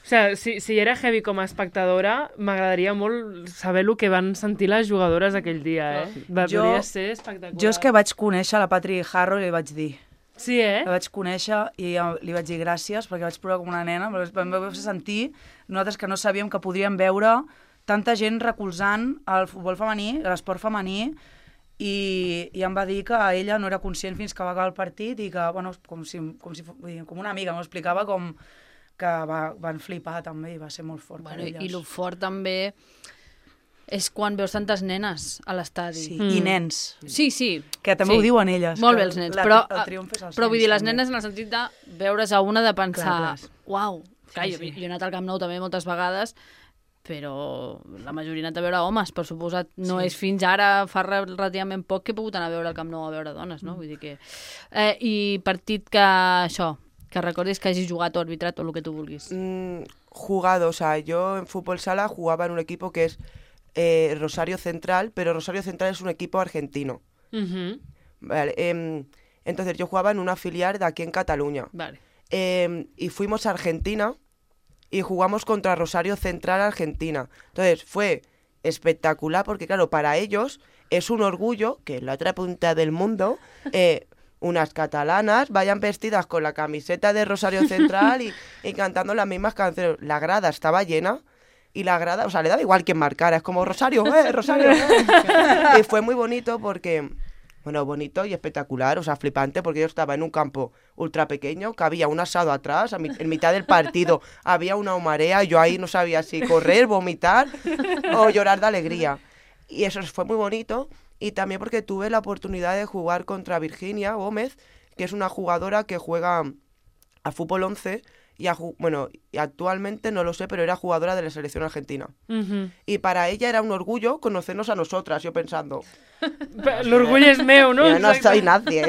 B: O sigui, si era heavy com a espectadora, m'agradaria molt saber el que van sentir les jugadores aquell dia, Podria ser espectacular.
E: Jo és que vaig conèixer la Patri Harrow i li vaig dir.
B: Sí,
E: La vaig conèixer i li vaig dir gràcies perquè vaig plorar com una nena. Em va fer sentir, nosaltres que no sabíem que podríem veure tanta gent recolzant el futbol femení, l'esport femení, i em va dir que ella no era conscient fins que va acabar el partit i que, bueno, com una amiga, m'ho explicava com que van flipar també i va ser molt fort per elles.
A: I el fort també és quan veus tantes nenes a l'estadi.
E: Sí, i nens.
A: Sí.
E: Que també ho diuen elles.
A: Molt bé els nens, però vull dir, les nenes en el sentit de veure's a una de pensar, uau, jo he anat al Camp Nou també moltes vegades, però la majoria ha anat a veure homes, per suposat. No és fins ara, fa relativament poc que he pogut anar a veure el Camp Nou a veure dones, no? Vull dir que... I partit que recordis que hagis jugat o arbitrat o el que tu vulguis.
D: Jugado, o sea, yo en fútbol sala jugaba en un equipo que es Rosario Central, pero Rosario Central es un equipo argentino. Vale, entonces yo jugaba en una filial de aquí en Cataluña.
A: Vale.
D: Y fuimos a Argentina y jugamos contra Rosario Central Argentina. Entonces fue espectacular porque, claro, para ellos es un orgullo que en la otra punta del mundo unas catalanas vayan vestidas con la camiseta de Rosario Central y cantando las mismas canciones. La grada estaba llena y la grada, o sea, le daba igual quien marcara, es como Rosario, Rosario. Y fue muy bonito porque... Bueno, bonito y espectacular, o sea, flipante, porque yo estaba en un campo ultra pequeño, que había un asado atrás, en mitad del partido había una marea, yo ahí no sabía si correr, vomitar o llorar de alegría. Y eso fue muy bonito, y también porque tuve la oportunidad de jugar contra Virginia Gómez, que es una jugadora que juega a fútbol 11, y actualmente no lo sé, pero era jugadora de la selección argentina. Y para ella era un orgullo conocernos a nosotras, yo pensando...
B: El orgullo es meu, ¿no?
D: Yo no soy nadie.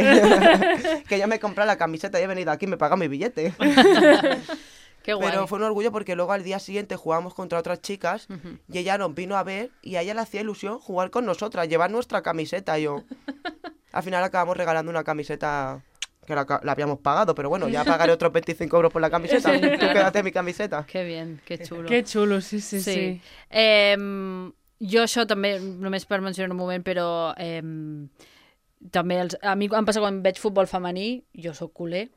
D: Que yo me compré la camiseta y he venido aquí y me paga mi billete.
A: Qué guay.
D: Pero fue un orgullo porque luego al día siguiente jugamos contra otras chicas y ella nos vino a ver y a ella le hacía ilusión jugar con nosotras, llevar nuestra camiseta. Al final acabamos regalando una camiseta... que la habíamos pagado, pero bueno, ya pagaré otros 25 euros por la camiseta. Sí, claro. Tú quédate mi camiseta.
A: Que bien, que xulo.
B: Que xulo, sí.
A: Jo això també, només per mencionar un moment, però també a mi em passa quan veig futbol femení, jo sóc culer,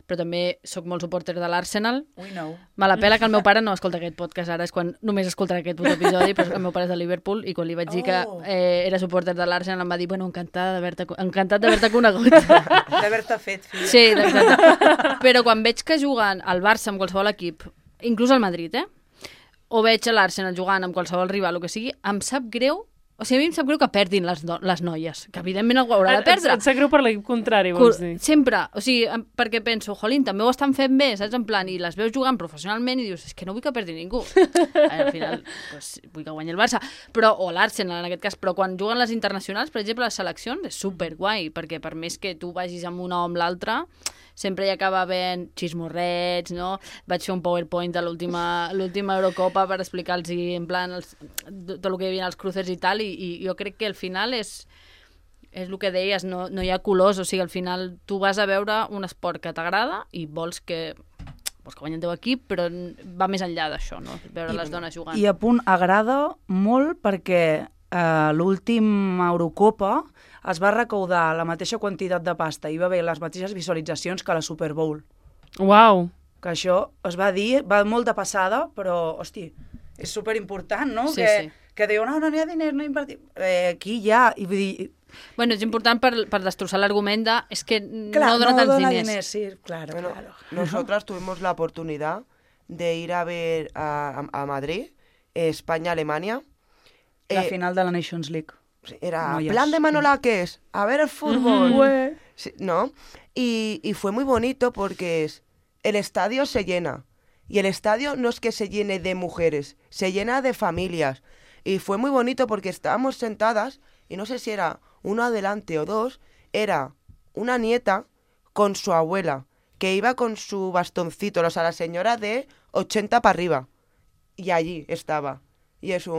A: però també sóc molt supporter de l'Arsenal. Me la pela que el meu pare no escolta aquest podcast ara, és quan només escoltarà aquest episodi, però el meu pare és de Liverpool i quan li vaig dir que era supporter de l'Arsenal em va dir, bueno, encantat d'haver-te conegut.
E: D'haver-te fet, filla.
A: Sí, exacte. Però quan veig que juguen al Barça amb qualsevol equip, inclús al Madrid, o veig a l'Arsenal jugant amb qualsevol rival, o que sigui, em sap greu, o sigui, a mi em sap greu que perdin les noies, que evidentment algú haurà de perdre.
B: Et sap greu per l'equip contrari, vols dir?
A: Sempre, o sigui, perquè penso, jolín, també ho estan fent bé, saps, en plan, i les veus jugant professionalment i dius, és que no vull que perdi ningú. Al final, pues, vull que guanyi el Barça, o l'Arsenal en aquest cas, però quan juguen les internacionals, per exemple, les seleccions, és superguai, perquè per més que tu vagis amb una o amb l'altra, sempre hi acaba havent xismorrets, no? Vaig fer un PowerPoint de l'última Eurocopa per explicar-los en plan tot el que hi havia als cruces i tal, i jo crec que al final és el que deies, no hi ha colors, o sigui, al final tu vas a veure un esport que t'agrada i vols que guanyi el teu equip, però va més enllà d'això, no? Veure les dones jugant.
E: I a punt, agrada molt perquè l'última Eurocopa es va recaudar la mateixa quantitat de pasta i va haver les mateixes visualitzacions que la Super Bowl.
B: Uau!
E: Que això es va dir, va molt de passada, però, hosti, és superimportant, no?
A: Sí,
E: que diu, no hi ha diners, no invertim. Aquí hi ha, i vull dir...
A: Bueno, és important per destrossar l'argument de és que no dona tants diners.
E: Sí, claro.
D: Nosotras tuvimos la oportunidad de ir a ver a Madrid, España-Alemania.
E: La final de la Nations League.
D: Era plan de Manolaques, a ver el fútbol. Sí, ¿no? Y fue muy bonito porque el estadio se llena. Y el estadio no es que se llene de mujeres, se llena de familias. Y fue muy bonito porque estábamos sentadas, y no sé si era uno adelante o dos, era una nieta con su abuela, que iba con su bastoncito, o sea, la señora de 80 para arriba. Y allí estaba. Y es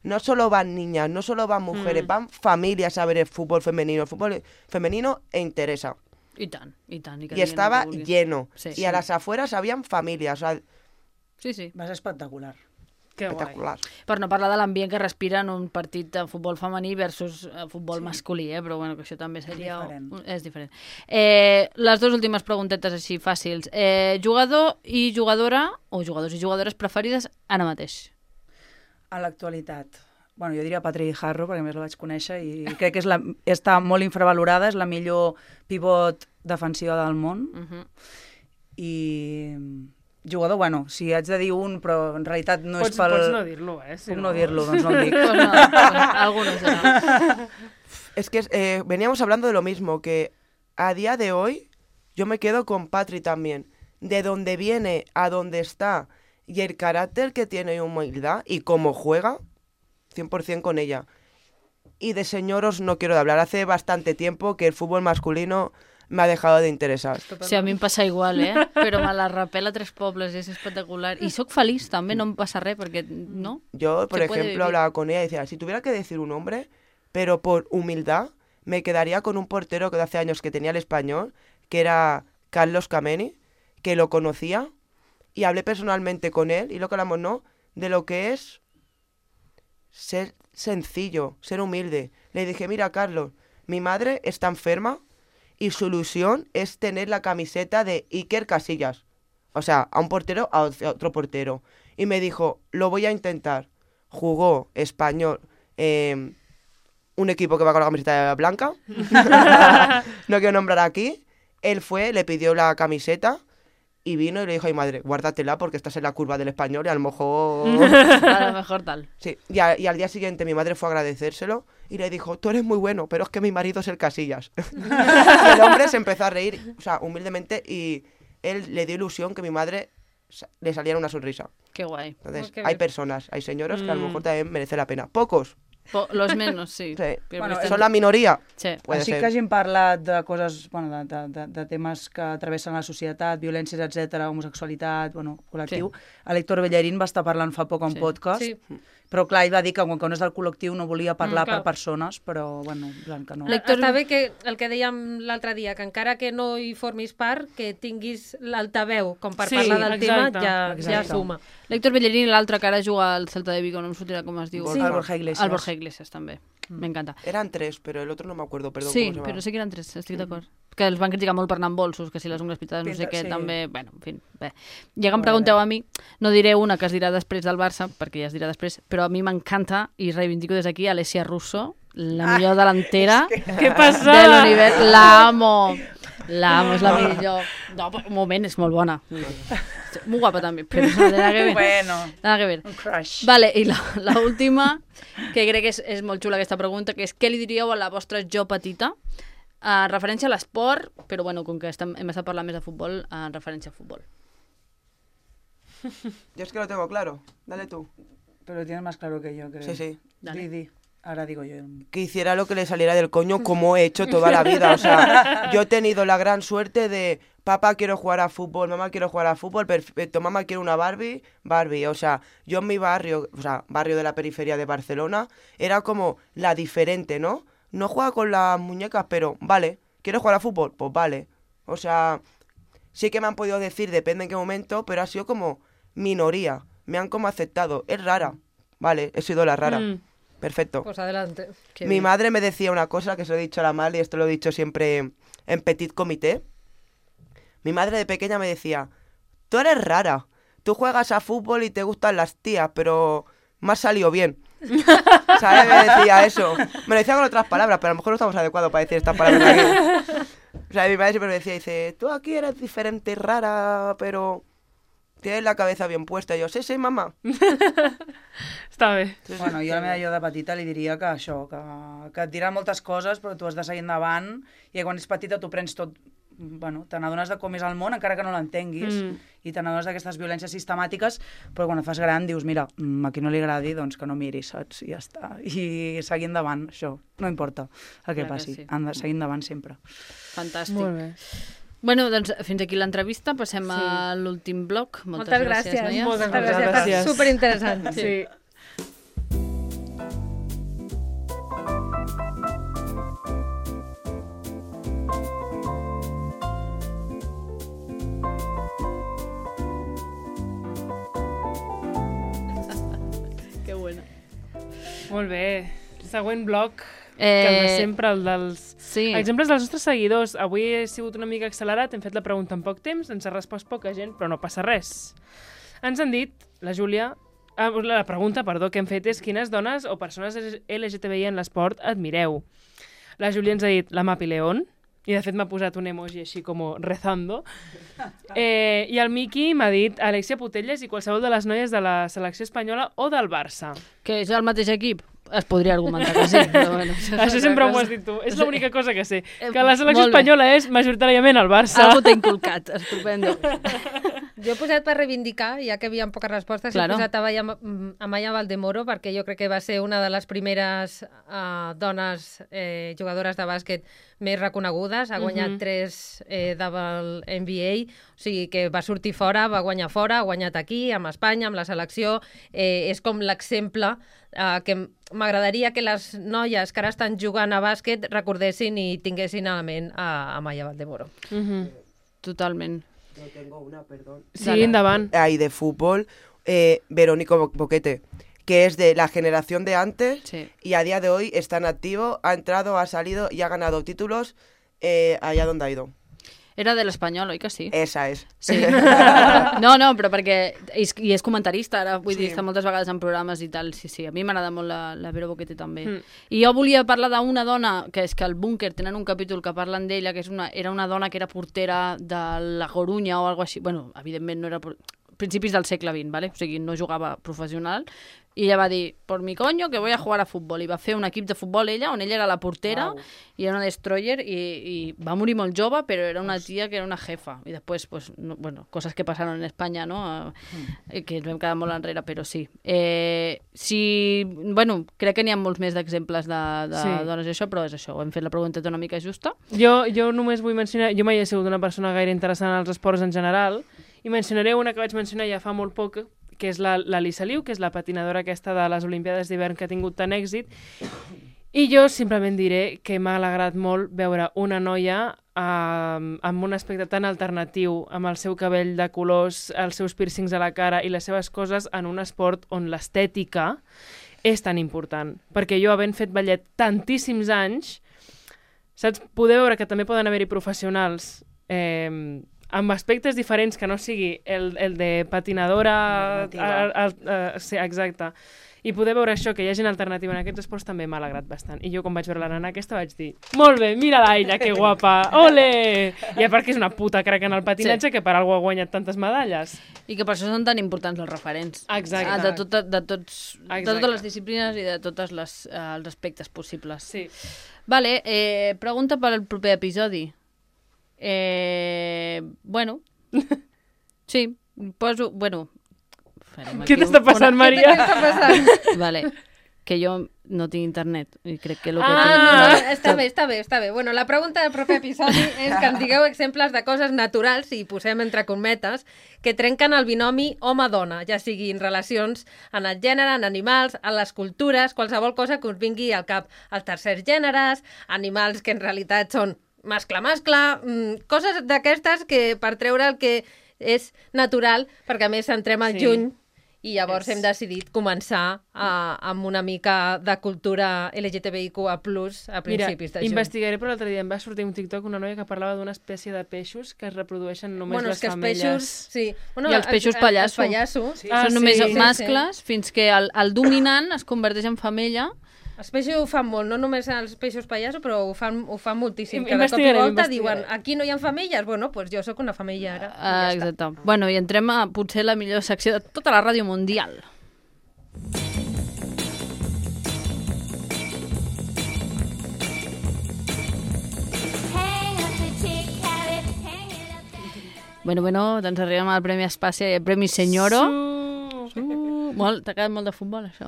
D: no solo van niñas, no solo van mujeres, van familias a ver el fútbol femenino. El fútbol femenino interesa.
A: I tant.
D: Y estaba lleno. Sí, y a las afueras habían familias. O sea,
A: sí.
E: Va ser espectacular.
B: Que
D: espectacular.
B: Guai.
A: Per no parlar de l'ambient que respira en un partit de futbol femení versus futbol masculí, però bueno, que això també seria... És diferent. Les dues últimes preguntetes així fàcils. Jugador i jugadora, o jugadors i jugadores preferides ara mateix?
E: A l'actualitat. bueno, jo diria Patri Harro, perquè més la vaig conèixer, i crec que està molt infravalorada, és la millor pivot defensiva del món. I jugador, bueno, si haig de dir un, però en realitat no és pel...
B: Pots no dir-lo,
E: Si puc no dir-lo, doncs no el dic.
A: Pues no, algunos será.
D: Es que veníamos hablando de lo mismo, que a día de hoy yo me quedo con Patri también. De dónde viene a dónde está y el carácter que tiene y humildad y cómo juega, 100% con ella. Y de señoros no quiero hablar. Hace bastante tiempo que el fútbol masculino me ha dejado de interesar.
A: Sí, a mi em passa igual, Però me la rapela Tres Pobles, és espectacular. I sóc feliç també, no em passa res, perquè no.
D: Yo, por ejemplo, hablaba con ella y decía, si tuviera que decir un nombre, pero por humildad, me quedaría con un portero que de hace años que tenía el Español, que era Carlos Kameni, que lo conocía, y hablé personalmente con él, y lo que hablamos, ¿no?, de lo que es ser sencillo, ser humilde. Le dije, mira, Carlos, mi madre está enferma, y su ilusión es tener la camiseta de Iker Casillas. O sea, a un portero, a otro portero. Y me dijo, lo voy a intentar. Jugó Español, un equipo que va con la camiseta blanca. No quiero nombrar aquí. Él fue, le pidió la camiseta y vino y le dijo a mi madre, guárdatela porque estás en la curva del Español y a lo mejor...
A: A lo mejor tal.
D: Sí, y al día siguiente mi madre fue a agradecérselo y le dijo, tú eres muy bueno, pero es que mi marido es el Casillas. Y el hombre se empezó a reír, o sea, humildemente, y él le dio ilusión que mi madre le saliera una sonrisa.
A: Qué guay.
D: Entonces, hay personas, hay señoros que a lo mejor también merece la pena. Pocos.
A: Los menos, sí.
D: Bueno, són la minoria.
A: Sí.
E: Així que hagin parlat de coses, bueno, de temes que travessen la societat, violències, etc, homosexualitat, bueno, col·lectiu. Sí. L'Héctor Bellerín va estar parlant fa poc en podcast, però clar, ell va dir que quan no és del col·lectiu no volia parlar per persones, però bueno, que no.
C: Està bé que el que dèiem l'altre dia, que encara que no hi formis part, que tinguis l'altaveu com per parlar del tema, ja suma.
A: L'Héctor Bellerín i l'altre que ara juga al Celta de Vigo, no em sortirà com es diu.
E: El Borja Iglesias.
A: El Borja Iglesias també. Me encanta.
D: Eran 3, pero el otro no me acuerdo, perdón.
A: Sí, però sí que eren 3, estic d'acord. Que els van criticar molt per anar amb bolsos, que si les ungles pintades no sé què, també... Bueno, en fi, bé. Ja que em pregunteu a mi, no diré una que es dirà després del Barça, perquè ja es dirà després, però a mi m'encanta, i reivindico des d'aquí, Alessia Russo, la millor delantera
B: Què passa?
A: de l'univers. L'amo, és la millor. No, un moment, és molt bona. Muy guapa també, però no té nada que ver.
E: Bueno,
A: nada que ver.
E: Un crush.
A: Vale, i la última, que crec que és molt xula aquesta pregunta, que és què li diríeu a la vostra jo petita en referència a l'esport, però bueno, com que hem estat parlant més de futbol, en referència a futbol.
D: Yo es que lo tengo claro. Dale tú.
E: Pero lo tienes más claro que yo, creo.
D: Sí, sí.
E: Di. Ahora digo yo.
D: Que hiciera lo que le saliera del coño como he hecho toda la vida. O sea, yo he tenido la gran suerte de papá quiero jugar a fútbol, mamá quiero jugar a fútbol, perfecto, mamá quiero una Barbie. O sea, yo en mi barrio, o sea, barrio de la periferia de Barcelona, era como la diferente, ¿no? No juega con las muñecas, pero vale, ¿quieres jugar a fútbol? Pues vale. O sea, sí que me han podido decir, depende en qué momento, pero ha sido como minoría. Me han como aceptado. Es rara. Vale, he sido la rara. Perfecto.
C: Pues adelante.
D: Mi madre me decía una cosa que se lo he dicho a la Mal y esto lo he dicho siempre en petit comité. Mi madre de pequeña me decía, tú eres rara, tú juegas a fútbol y te gustan las tías, pero me has salido bien. ¿Sabes? Me decía eso. Me lo decía con otras palabras, pero a lo mejor no estamos adecuados para decir estas palabras aquí. O sea, mi madre siempre me decía, dice, tú aquí eres diferente y rara, pero... tienes la cabeza bien puesta. I jo, sí, mamà.
B: Està bé.
E: Bueno, jo a la meva jo de petita li diria que això, que et dirà moltes coses, però tu has de seguir endavant, i quan ets petita tu prens tot, bueno, te n'adones de com és el món, encara que no l'entenguis, i te n'adones d'aquestes violències sistemàtiques, però quan et fas gran dius, mira, a qui no li agradi, doncs que no miri, saps? I ja està. I seguir endavant, això. No importa el que passi. Han de seguir endavant sempre.
A: Fantàstic.
B: Molt bé.
A: Bueno, doncs fins aquí l'entrevista, passem a l'últim bloc.
C: Moltes gràcies, noies.
B: Moltes gràcies.
C: Superinteressant.
B: Sí.
A: Que bona.
B: Molt bé. Següent bloc, que de sempre, el dels...
A: Sí.
B: Exemples dels nostres seguidors. Avui he sigut una mica accelerat, hem fet la pregunta en poc temps, ens ha respost poca gent, però no passa res. Ens han dit, la Júlia, La pregunta, perdó, que hem fet és quines dones o persones LGTBI en l'esport admireu? La Júlia ens ha dit la Mapi León, i de fet m'ha posat un emoji així com rezando. I el Miqui m'ha dit Alexia Putellas i qualsevol de les noies de la selecció espanyola o del Barça.
A: Que és el mateix equip? Es podria argumentar que sí, però bueno.
B: Això sempre m'ho has dit tu. És l'única cosa que sé. Que la selecció espanyola és majoritàriament el Barça.
A: Algú t'ha inculcat, estupendo.
C: Jo he posat per reivindicar, ja que hi havia poques respostes, he posat Amaya Valdemoro, perquè jo crec que va ser una de les primeres dones jugadores de bàsquet més reconegudes. Ha guanyat 3 del NBA, o sigui que va sortir fora, va guanyar fora, ha guanyat aquí, amb Espanya, amb la selecció. És com l'exemple que m'agradaria que les noies que ara estan jugant a bàsquet recordessin i tinguessin a la ment a Amaya Valdemoro.
A: Totalment.
D: Yo tengo una, perdón.
B: Sí, endavant.
D: Ahí de fútbol, Verónica Boquete, que es de la generación de antes y a día de hoy está en activo, ha entrado, ha salido y ha ganado títulos allá donde ha ido.
A: Era de l'Espanyol, oi que sí?
D: Esa és.
A: Sí. No, però perquè... I és comentarista, ara, vull dir, està moltes vegades en programes i tal. Sí, a mi m'agrada molt la Vero Boquete també. I jo volia parlar d'una dona, que és que al Búnquer tenen un capítol que parlen d'ella, que era una dona que era portera de la Corunya o alguna cosa així. Bueno, evidentment no era... principis del segle XX, ¿vale? O sigui, no jugava professional, i ella va dir, por mi coño, que voy a jugar a futbol, i va fer un equip de futbol ella, on ella era la portera, i era una destroyer, i va morir molt jove, però era una tia que era una jefa, i després, pues, no, bueno, coses que passaron en Espanya, no? Que ens vam quedar molt enrere, però sí. Bueno, crec que n'hi ha molts més d'exemples de dones i això, però és això, hem fet la pregunta una mica justa.
B: Jo només vull mencionar, jo mai he sigut una persona gaire interessant als esports en general, i mencionaré una que vaig mencionar ja fa molt poc, que és la Lisa Liu, que és la patinadora aquesta de les Olimpiades d'hivern que ha tingut tant èxit. I jo simplement diré que m'ha alegrat molt veure una noia amb un aspecte tan alternatiu, amb el seu cabell de colors, els seus piercings a la cara i les seves coses en un esport on l'estètica és tan important. Perquè jo, havent fet ballet tantíssims anys, saps, poder veure que també poden haver-hi professionals amb aspectes diferents, que no sigui el de patinadora... Sí, exacte. I poder veure això, que hi ha gent alternativa en aquests esports, també m'ha alegrat bastant. I jo, quan vaig veure la nana aquesta, vaig dir, molt bé, mira-la ella, que guapa, ole! I a part que és una puta crac en el patinatge, que per algú ha guanyat tantes medalles.
A: I que per això són tan importants els referents.
B: Exacte.
A: De totes les disciplines i de tots els aspectes possibles.
B: Sí.
A: Vale, pregunta per al proper episodi. Bueno, sí, poso... Bueno,
B: què t'està passant, Maria?
C: Què t'està passant?
A: Vale, que jo no tinc internet i crec que el que tinc...
C: Està bé. Bueno, la pregunta del proper episodi és que ens digueu exemples de coses naturals, i posem entre cometes, que trenquen el binomi home-dona, ja siguin relacions en el gènere, en animals, en les cultures, qualsevol cosa que us vingui al cap. Els tercers gèneres, animals que en realitat són mascle-mascle, coses d'aquestes que per treure el que és natural, perquè a més entrem al juny i llavors hem decidit començar amb una mica de cultura LGTBIQA+, a principis de juny.
B: Investigaré, però l'altre dia em va sortir un TikTok una noia que parlava d'una espècie de peixos que es reprodueixen només les femelles.
A: I els peixos pallasso. Són només mascles, fins que el dominant es converteix en femella.
C: Els peixos ho fan molt, no només els peixos pallasso, però ho fan moltíssim. Cada cop i volta diuen, aquí no hi ha femelles, bueno, doncs jo sóc una femella ara.
A: Exacte. Bueno, i entrem a potser la millor secció de tota la ràdio mundial. Bueno, doncs arribem al Premi Espàcia i al Premi Senyoro. T'ha quedat molt de futbol, això.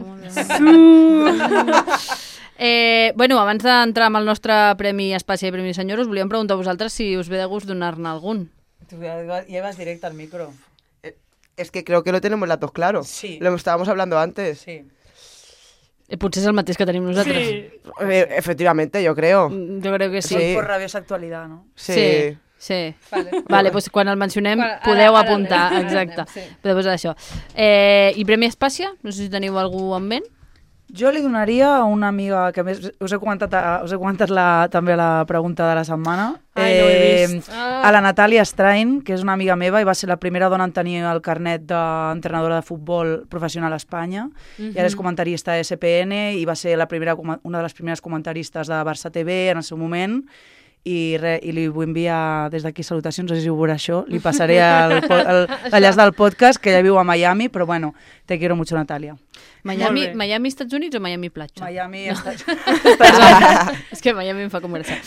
A: Bueno, abans d'entrar amb el nostre Premi Espàcia i Premi Senyoro, us volíem preguntar a vosaltres si us ve de gust donar-ne algun.
E: Tú llevas directo al micro.
D: Es que creo que lo tenemos las dos claro.
E: Sí.
D: Lo estábamos hablando antes.
E: Sí.
A: Potser és el mateix que tenim nosaltres.
B: Sí.
D: Efectivamente, yo creo.
A: Jo crec que sí.
E: Sí. Por rabiosa actualidad, ¿no?
A: Sí. Vale, doncs quan el mencionem podeu apuntar. Exacte.
C: Sí.
A: Podeu posar això. I Premi Espàcia? No sé si teniu algú en ment.
E: Jo li donaria a una amiga, que més us he comentat també la pregunta de la setmana.
B: Ai, no ho he vist.
E: A la Natàlia Strain, que és una amiga meva i va ser la primera dona en tenir el carnet d'entrenadora de futbol professional a Espanya. I ara és comentarista de SPN i va ser una de les primeres comentaristes de Barça TV en el seu moment. I li vull enviar des d'aquí salutacions, no sé si ho veurà això, li passaré l'enllaç del podcast, que ella viu a Miami, però bueno, te quiero mucho, Natàlia.
A: Miami, Estats Units o Miami platja?
E: Miami, Estats
A: Units. És que Miami em fa conversar.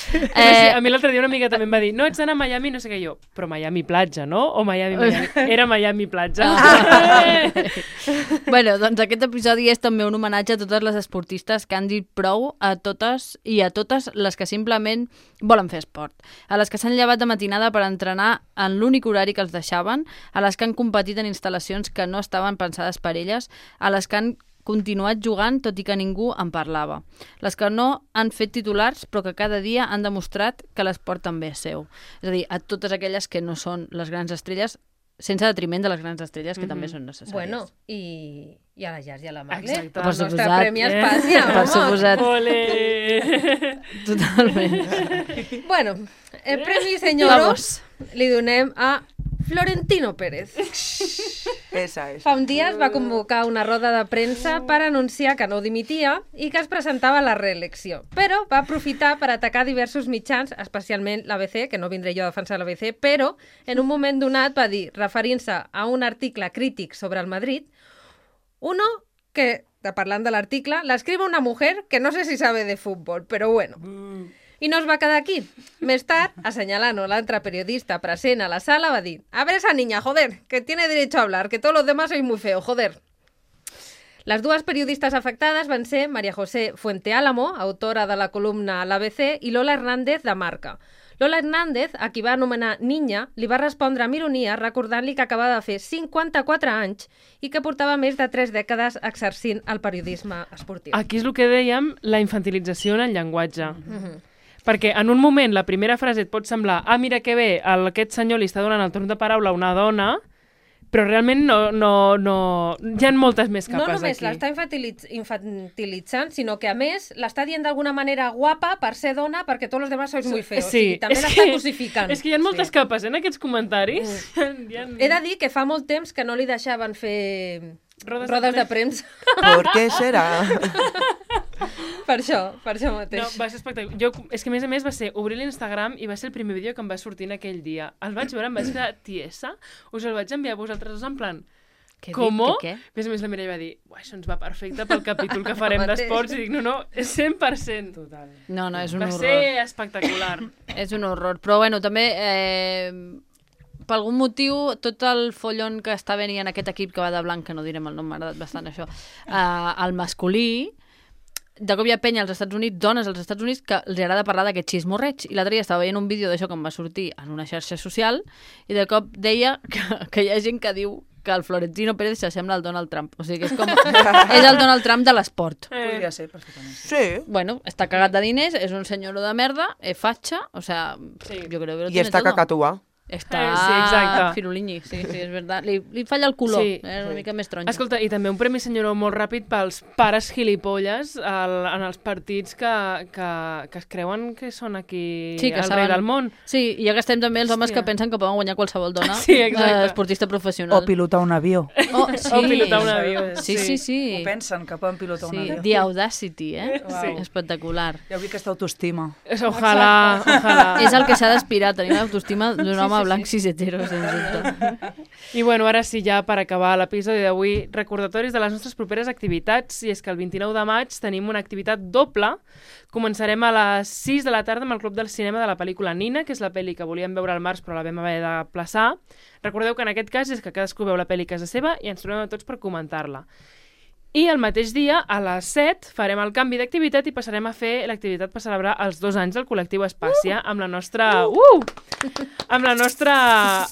B: A mi l'altre dia una amiga també em va dir, no, ets d'anar a Miami, no sé què, jo, però Miami platja, no? O Miami. Era Miami platja.
A: Bueno, doncs aquest episodi és també un homenatge a totes les esportistes que han dit prou, a totes i a totes les que simplement volen fer esport, a les que s'han llevat de matinada per entrenar en l'únic horari que els deixaven, a les que han competit en instal·lacions que no estaven pensades per elles, a les que han continuat jugant tot i que ningú en parlava, les que no han fet titulars però que cada dia han demostrat que l'esport també és seu. És a dir, a totes aquelles que no són les grans estrelles, sense detriment de les grans estrelles que també són necessàries.
C: Bueno, i a la Jazz i a la Marle.
A: Exacte.
C: El nostre Premi Espanya.
A: Per suposat.
B: Ole!
A: Totalment.
C: Bueno, el Premi Senyoros li donem a Florentino Pérez.
D: Esa és.
C: Fa un dia es va convocar una roda de premsa per anunciar que no dimitia i que es presentava a la reelecció. Però va aprofitar per atacar diversos mitjans, especialment l'ABC, que no vindré jo a defensar l'ABC, però en un moment donat va dir, referint-se a un article crític sobre el Madrid, uno que, parlant de l'article, l'escriu una mujer que no sé si sabe de fútbol, però bueno. I no es va quedar aquí. Més tard, assenyant l'altre periodista present a la sala, va dir «A ver esa niña, joder, que tiene derecho a hablar, que todos los demás sois muy feo, joder». Les dues periodistes afectades van ser María José Fuenteálamo, autora de la columna a l'ABC, i Lola Hernández, de Marca. Lola Hernández, a qui va anomenar Niña, li va respondre amb ironia recordant-li que acabava de fer 54 anys i que portava més de 3 dècades exercint el periodisme esportiu.
B: Aquí és el que dèiem, la infantilització en el llenguatge. Perquè en un moment la primera frase et pot semblar mira que bé, aquest senyor li està donant el torn de paraula a una dona, però realment no hi ha moltes més capes aquí.
C: No només l'està infantilitzant, sinó que a més l'està dient d'alguna manera guapa per ser dona perquè tots els demás sois muy feos.
B: Sí,
C: o sigui, també l'està cosificant.
B: És que hi ha moltes capes en aquests comentaris.
C: He de dir que fa molt temps que no li deixaven fer rodes de premsa.
D: ¿Por qué serà?
C: Per això mateix.
B: No, va ser espectacular. És que a més va ser obrir l'Instagram i va ser el primer vídeo que em va sortir en aquell dia. El vaig veure, em vaig quedar tiesa, us el vaig enviar a vosaltres dos en plan... Com?
A: Què?
B: A més la Mireia va dir, això ens va perfecte pel capítol que farem d'esports, i dic, no, és 100%.
E: Total.
A: No, és un horror.
B: Va ser espectacular.
A: És un horror, però bueno, també... per algun motiu, tot el follon que està venint en aquest equip que va de blanc, que no direm el nom, m'ha agradat bastant això, el masculí, de cop hi ha penya als Estats Units, dones als Estats Units, que els agrada parlar d'aquest xismorreig. I l'altre dia estava veient un vídeo d'això que em va sortir en una xarxa social i de cop deia que hi ha gent que diu que el Florentino Pérez s'assembla al Donald Trump. O sigui que és com... és el Donald Trump de l'esport.
E: Podria ser, perfectament.
D: Sí.
A: Bueno, està cagat de diners, és un senyor de merda, fatxa, o sea,
B: sí.
A: Yo creo que lo
D: I està cacatúa.
A: Està firulini, sí, és veritat. Li falla el color, una mica més taronja.
B: Escolta, i també un premi senyoró molt ràpid pels pares gilipolles en els partits que es creuen que són aquí el rei del món.
A: Sí, i ja que estem també els homes que pensen que poden guanyar qualsevol dona, esportista professional.
E: O pilotar un avió.
B: O pilotar un avió.
A: Sí.
E: O pensen que poden pilotar un avió.
A: The Audacity, espectacular.
E: Ja vull aquesta autoestima.
B: Ojalà.
A: És el que s'ha d'aspirar, tenir l'autoestima d'un home blanc cis hetero, sens dubte.
B: I bueno, ara sí, ja per acabar l'episodi d'avui, recordatoris de les nostres properes activitats, i és que el 29 de maig tenim una activitat doble. Començarem a les 6 de la tarda amb el Club del Cinema de la pel·lícula Nina, que és la pel·li que volíem veure al març però la vam haver de plaçar. Recordeu que en aquest cas és que cadascú veu la pel·li a casa seva i ens trobem a tots per comentar-la. I el mateix dia, a les 7, farem el canvi d'activitat i passarem a fer l'activitat per celebrar els 2 anys del col·lectiu Espàcia amb la nostra... amb la nostra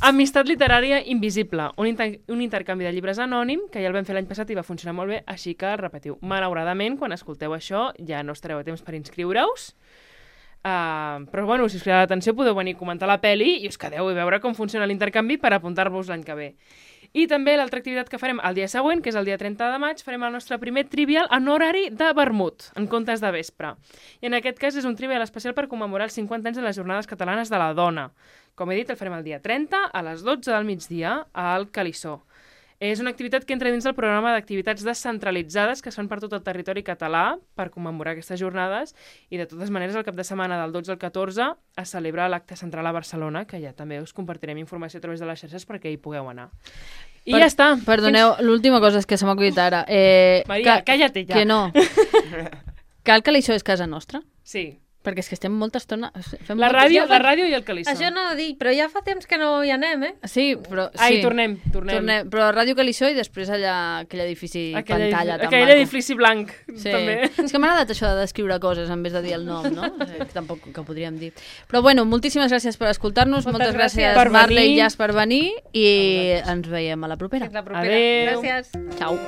B: amistat literària invisible. Un intercanvi de llibres anònim, que ja el vam fer l'any passat i va funcionar molt bé, així que repetiu. Malauradament, quan escolteu això, ja no estareu a temps per inscriure-us. Però bueno, si us crida l'atenció podeu venir a comentar la peli i us quedeu i veure com funciona l'intercanvi per apuntar-vos l'any que ve. I també l'altra activitat que farem el dia següent, que és el dia 30 de maig, farem el nostre primer trivial en horari de vermut, en comptes de vespre. I en aquest cas és un trivial especial per commemorar els 50 anys de les Jornades Catalanes de la Dona. Com he dit, el farem el dia 30 a les 12 del migdia al Calissó. És una activitat que entra dins del programa d'activitats descentralitzades que es fan per tot el territori català per commemorar aquestes jornades i de totes maneres el cap de setmana del 12 al 14 es celebra l'acte central a Barcelona, que ja també us compartirem informació a través de les xarxes perquè hi pugueu anar. I ja està.
A: Perdoneu, l'última cosa és que se m'ha acudit ara.
B: Maria, cállate ja.
A: Que no. Cal que això és casa nostra?
B: Sí.
A: Perquè és que estem molta estona...
B: La ràdio i el Calissó.
C: Això no ho dic, però ja fa temps que no hi anem,
A: Sí, però...
B: Ai, tornem.
A: Però Ràdio Calissó i després allà aquell edifici pantalla tan
B: aquell
A: maco.
B: Edifici blanc, també.
A: És que m'ha agradat això de descriure coses en vez de dir el nom, no? Tampoc que podríem dir. Però bueno, moltíssimes gràcies per escoltar-nos, moltes gràcies Marle i Jas per venir i ens veiem a la propera.
C: Adéu. Gràcies.
A: Ciao.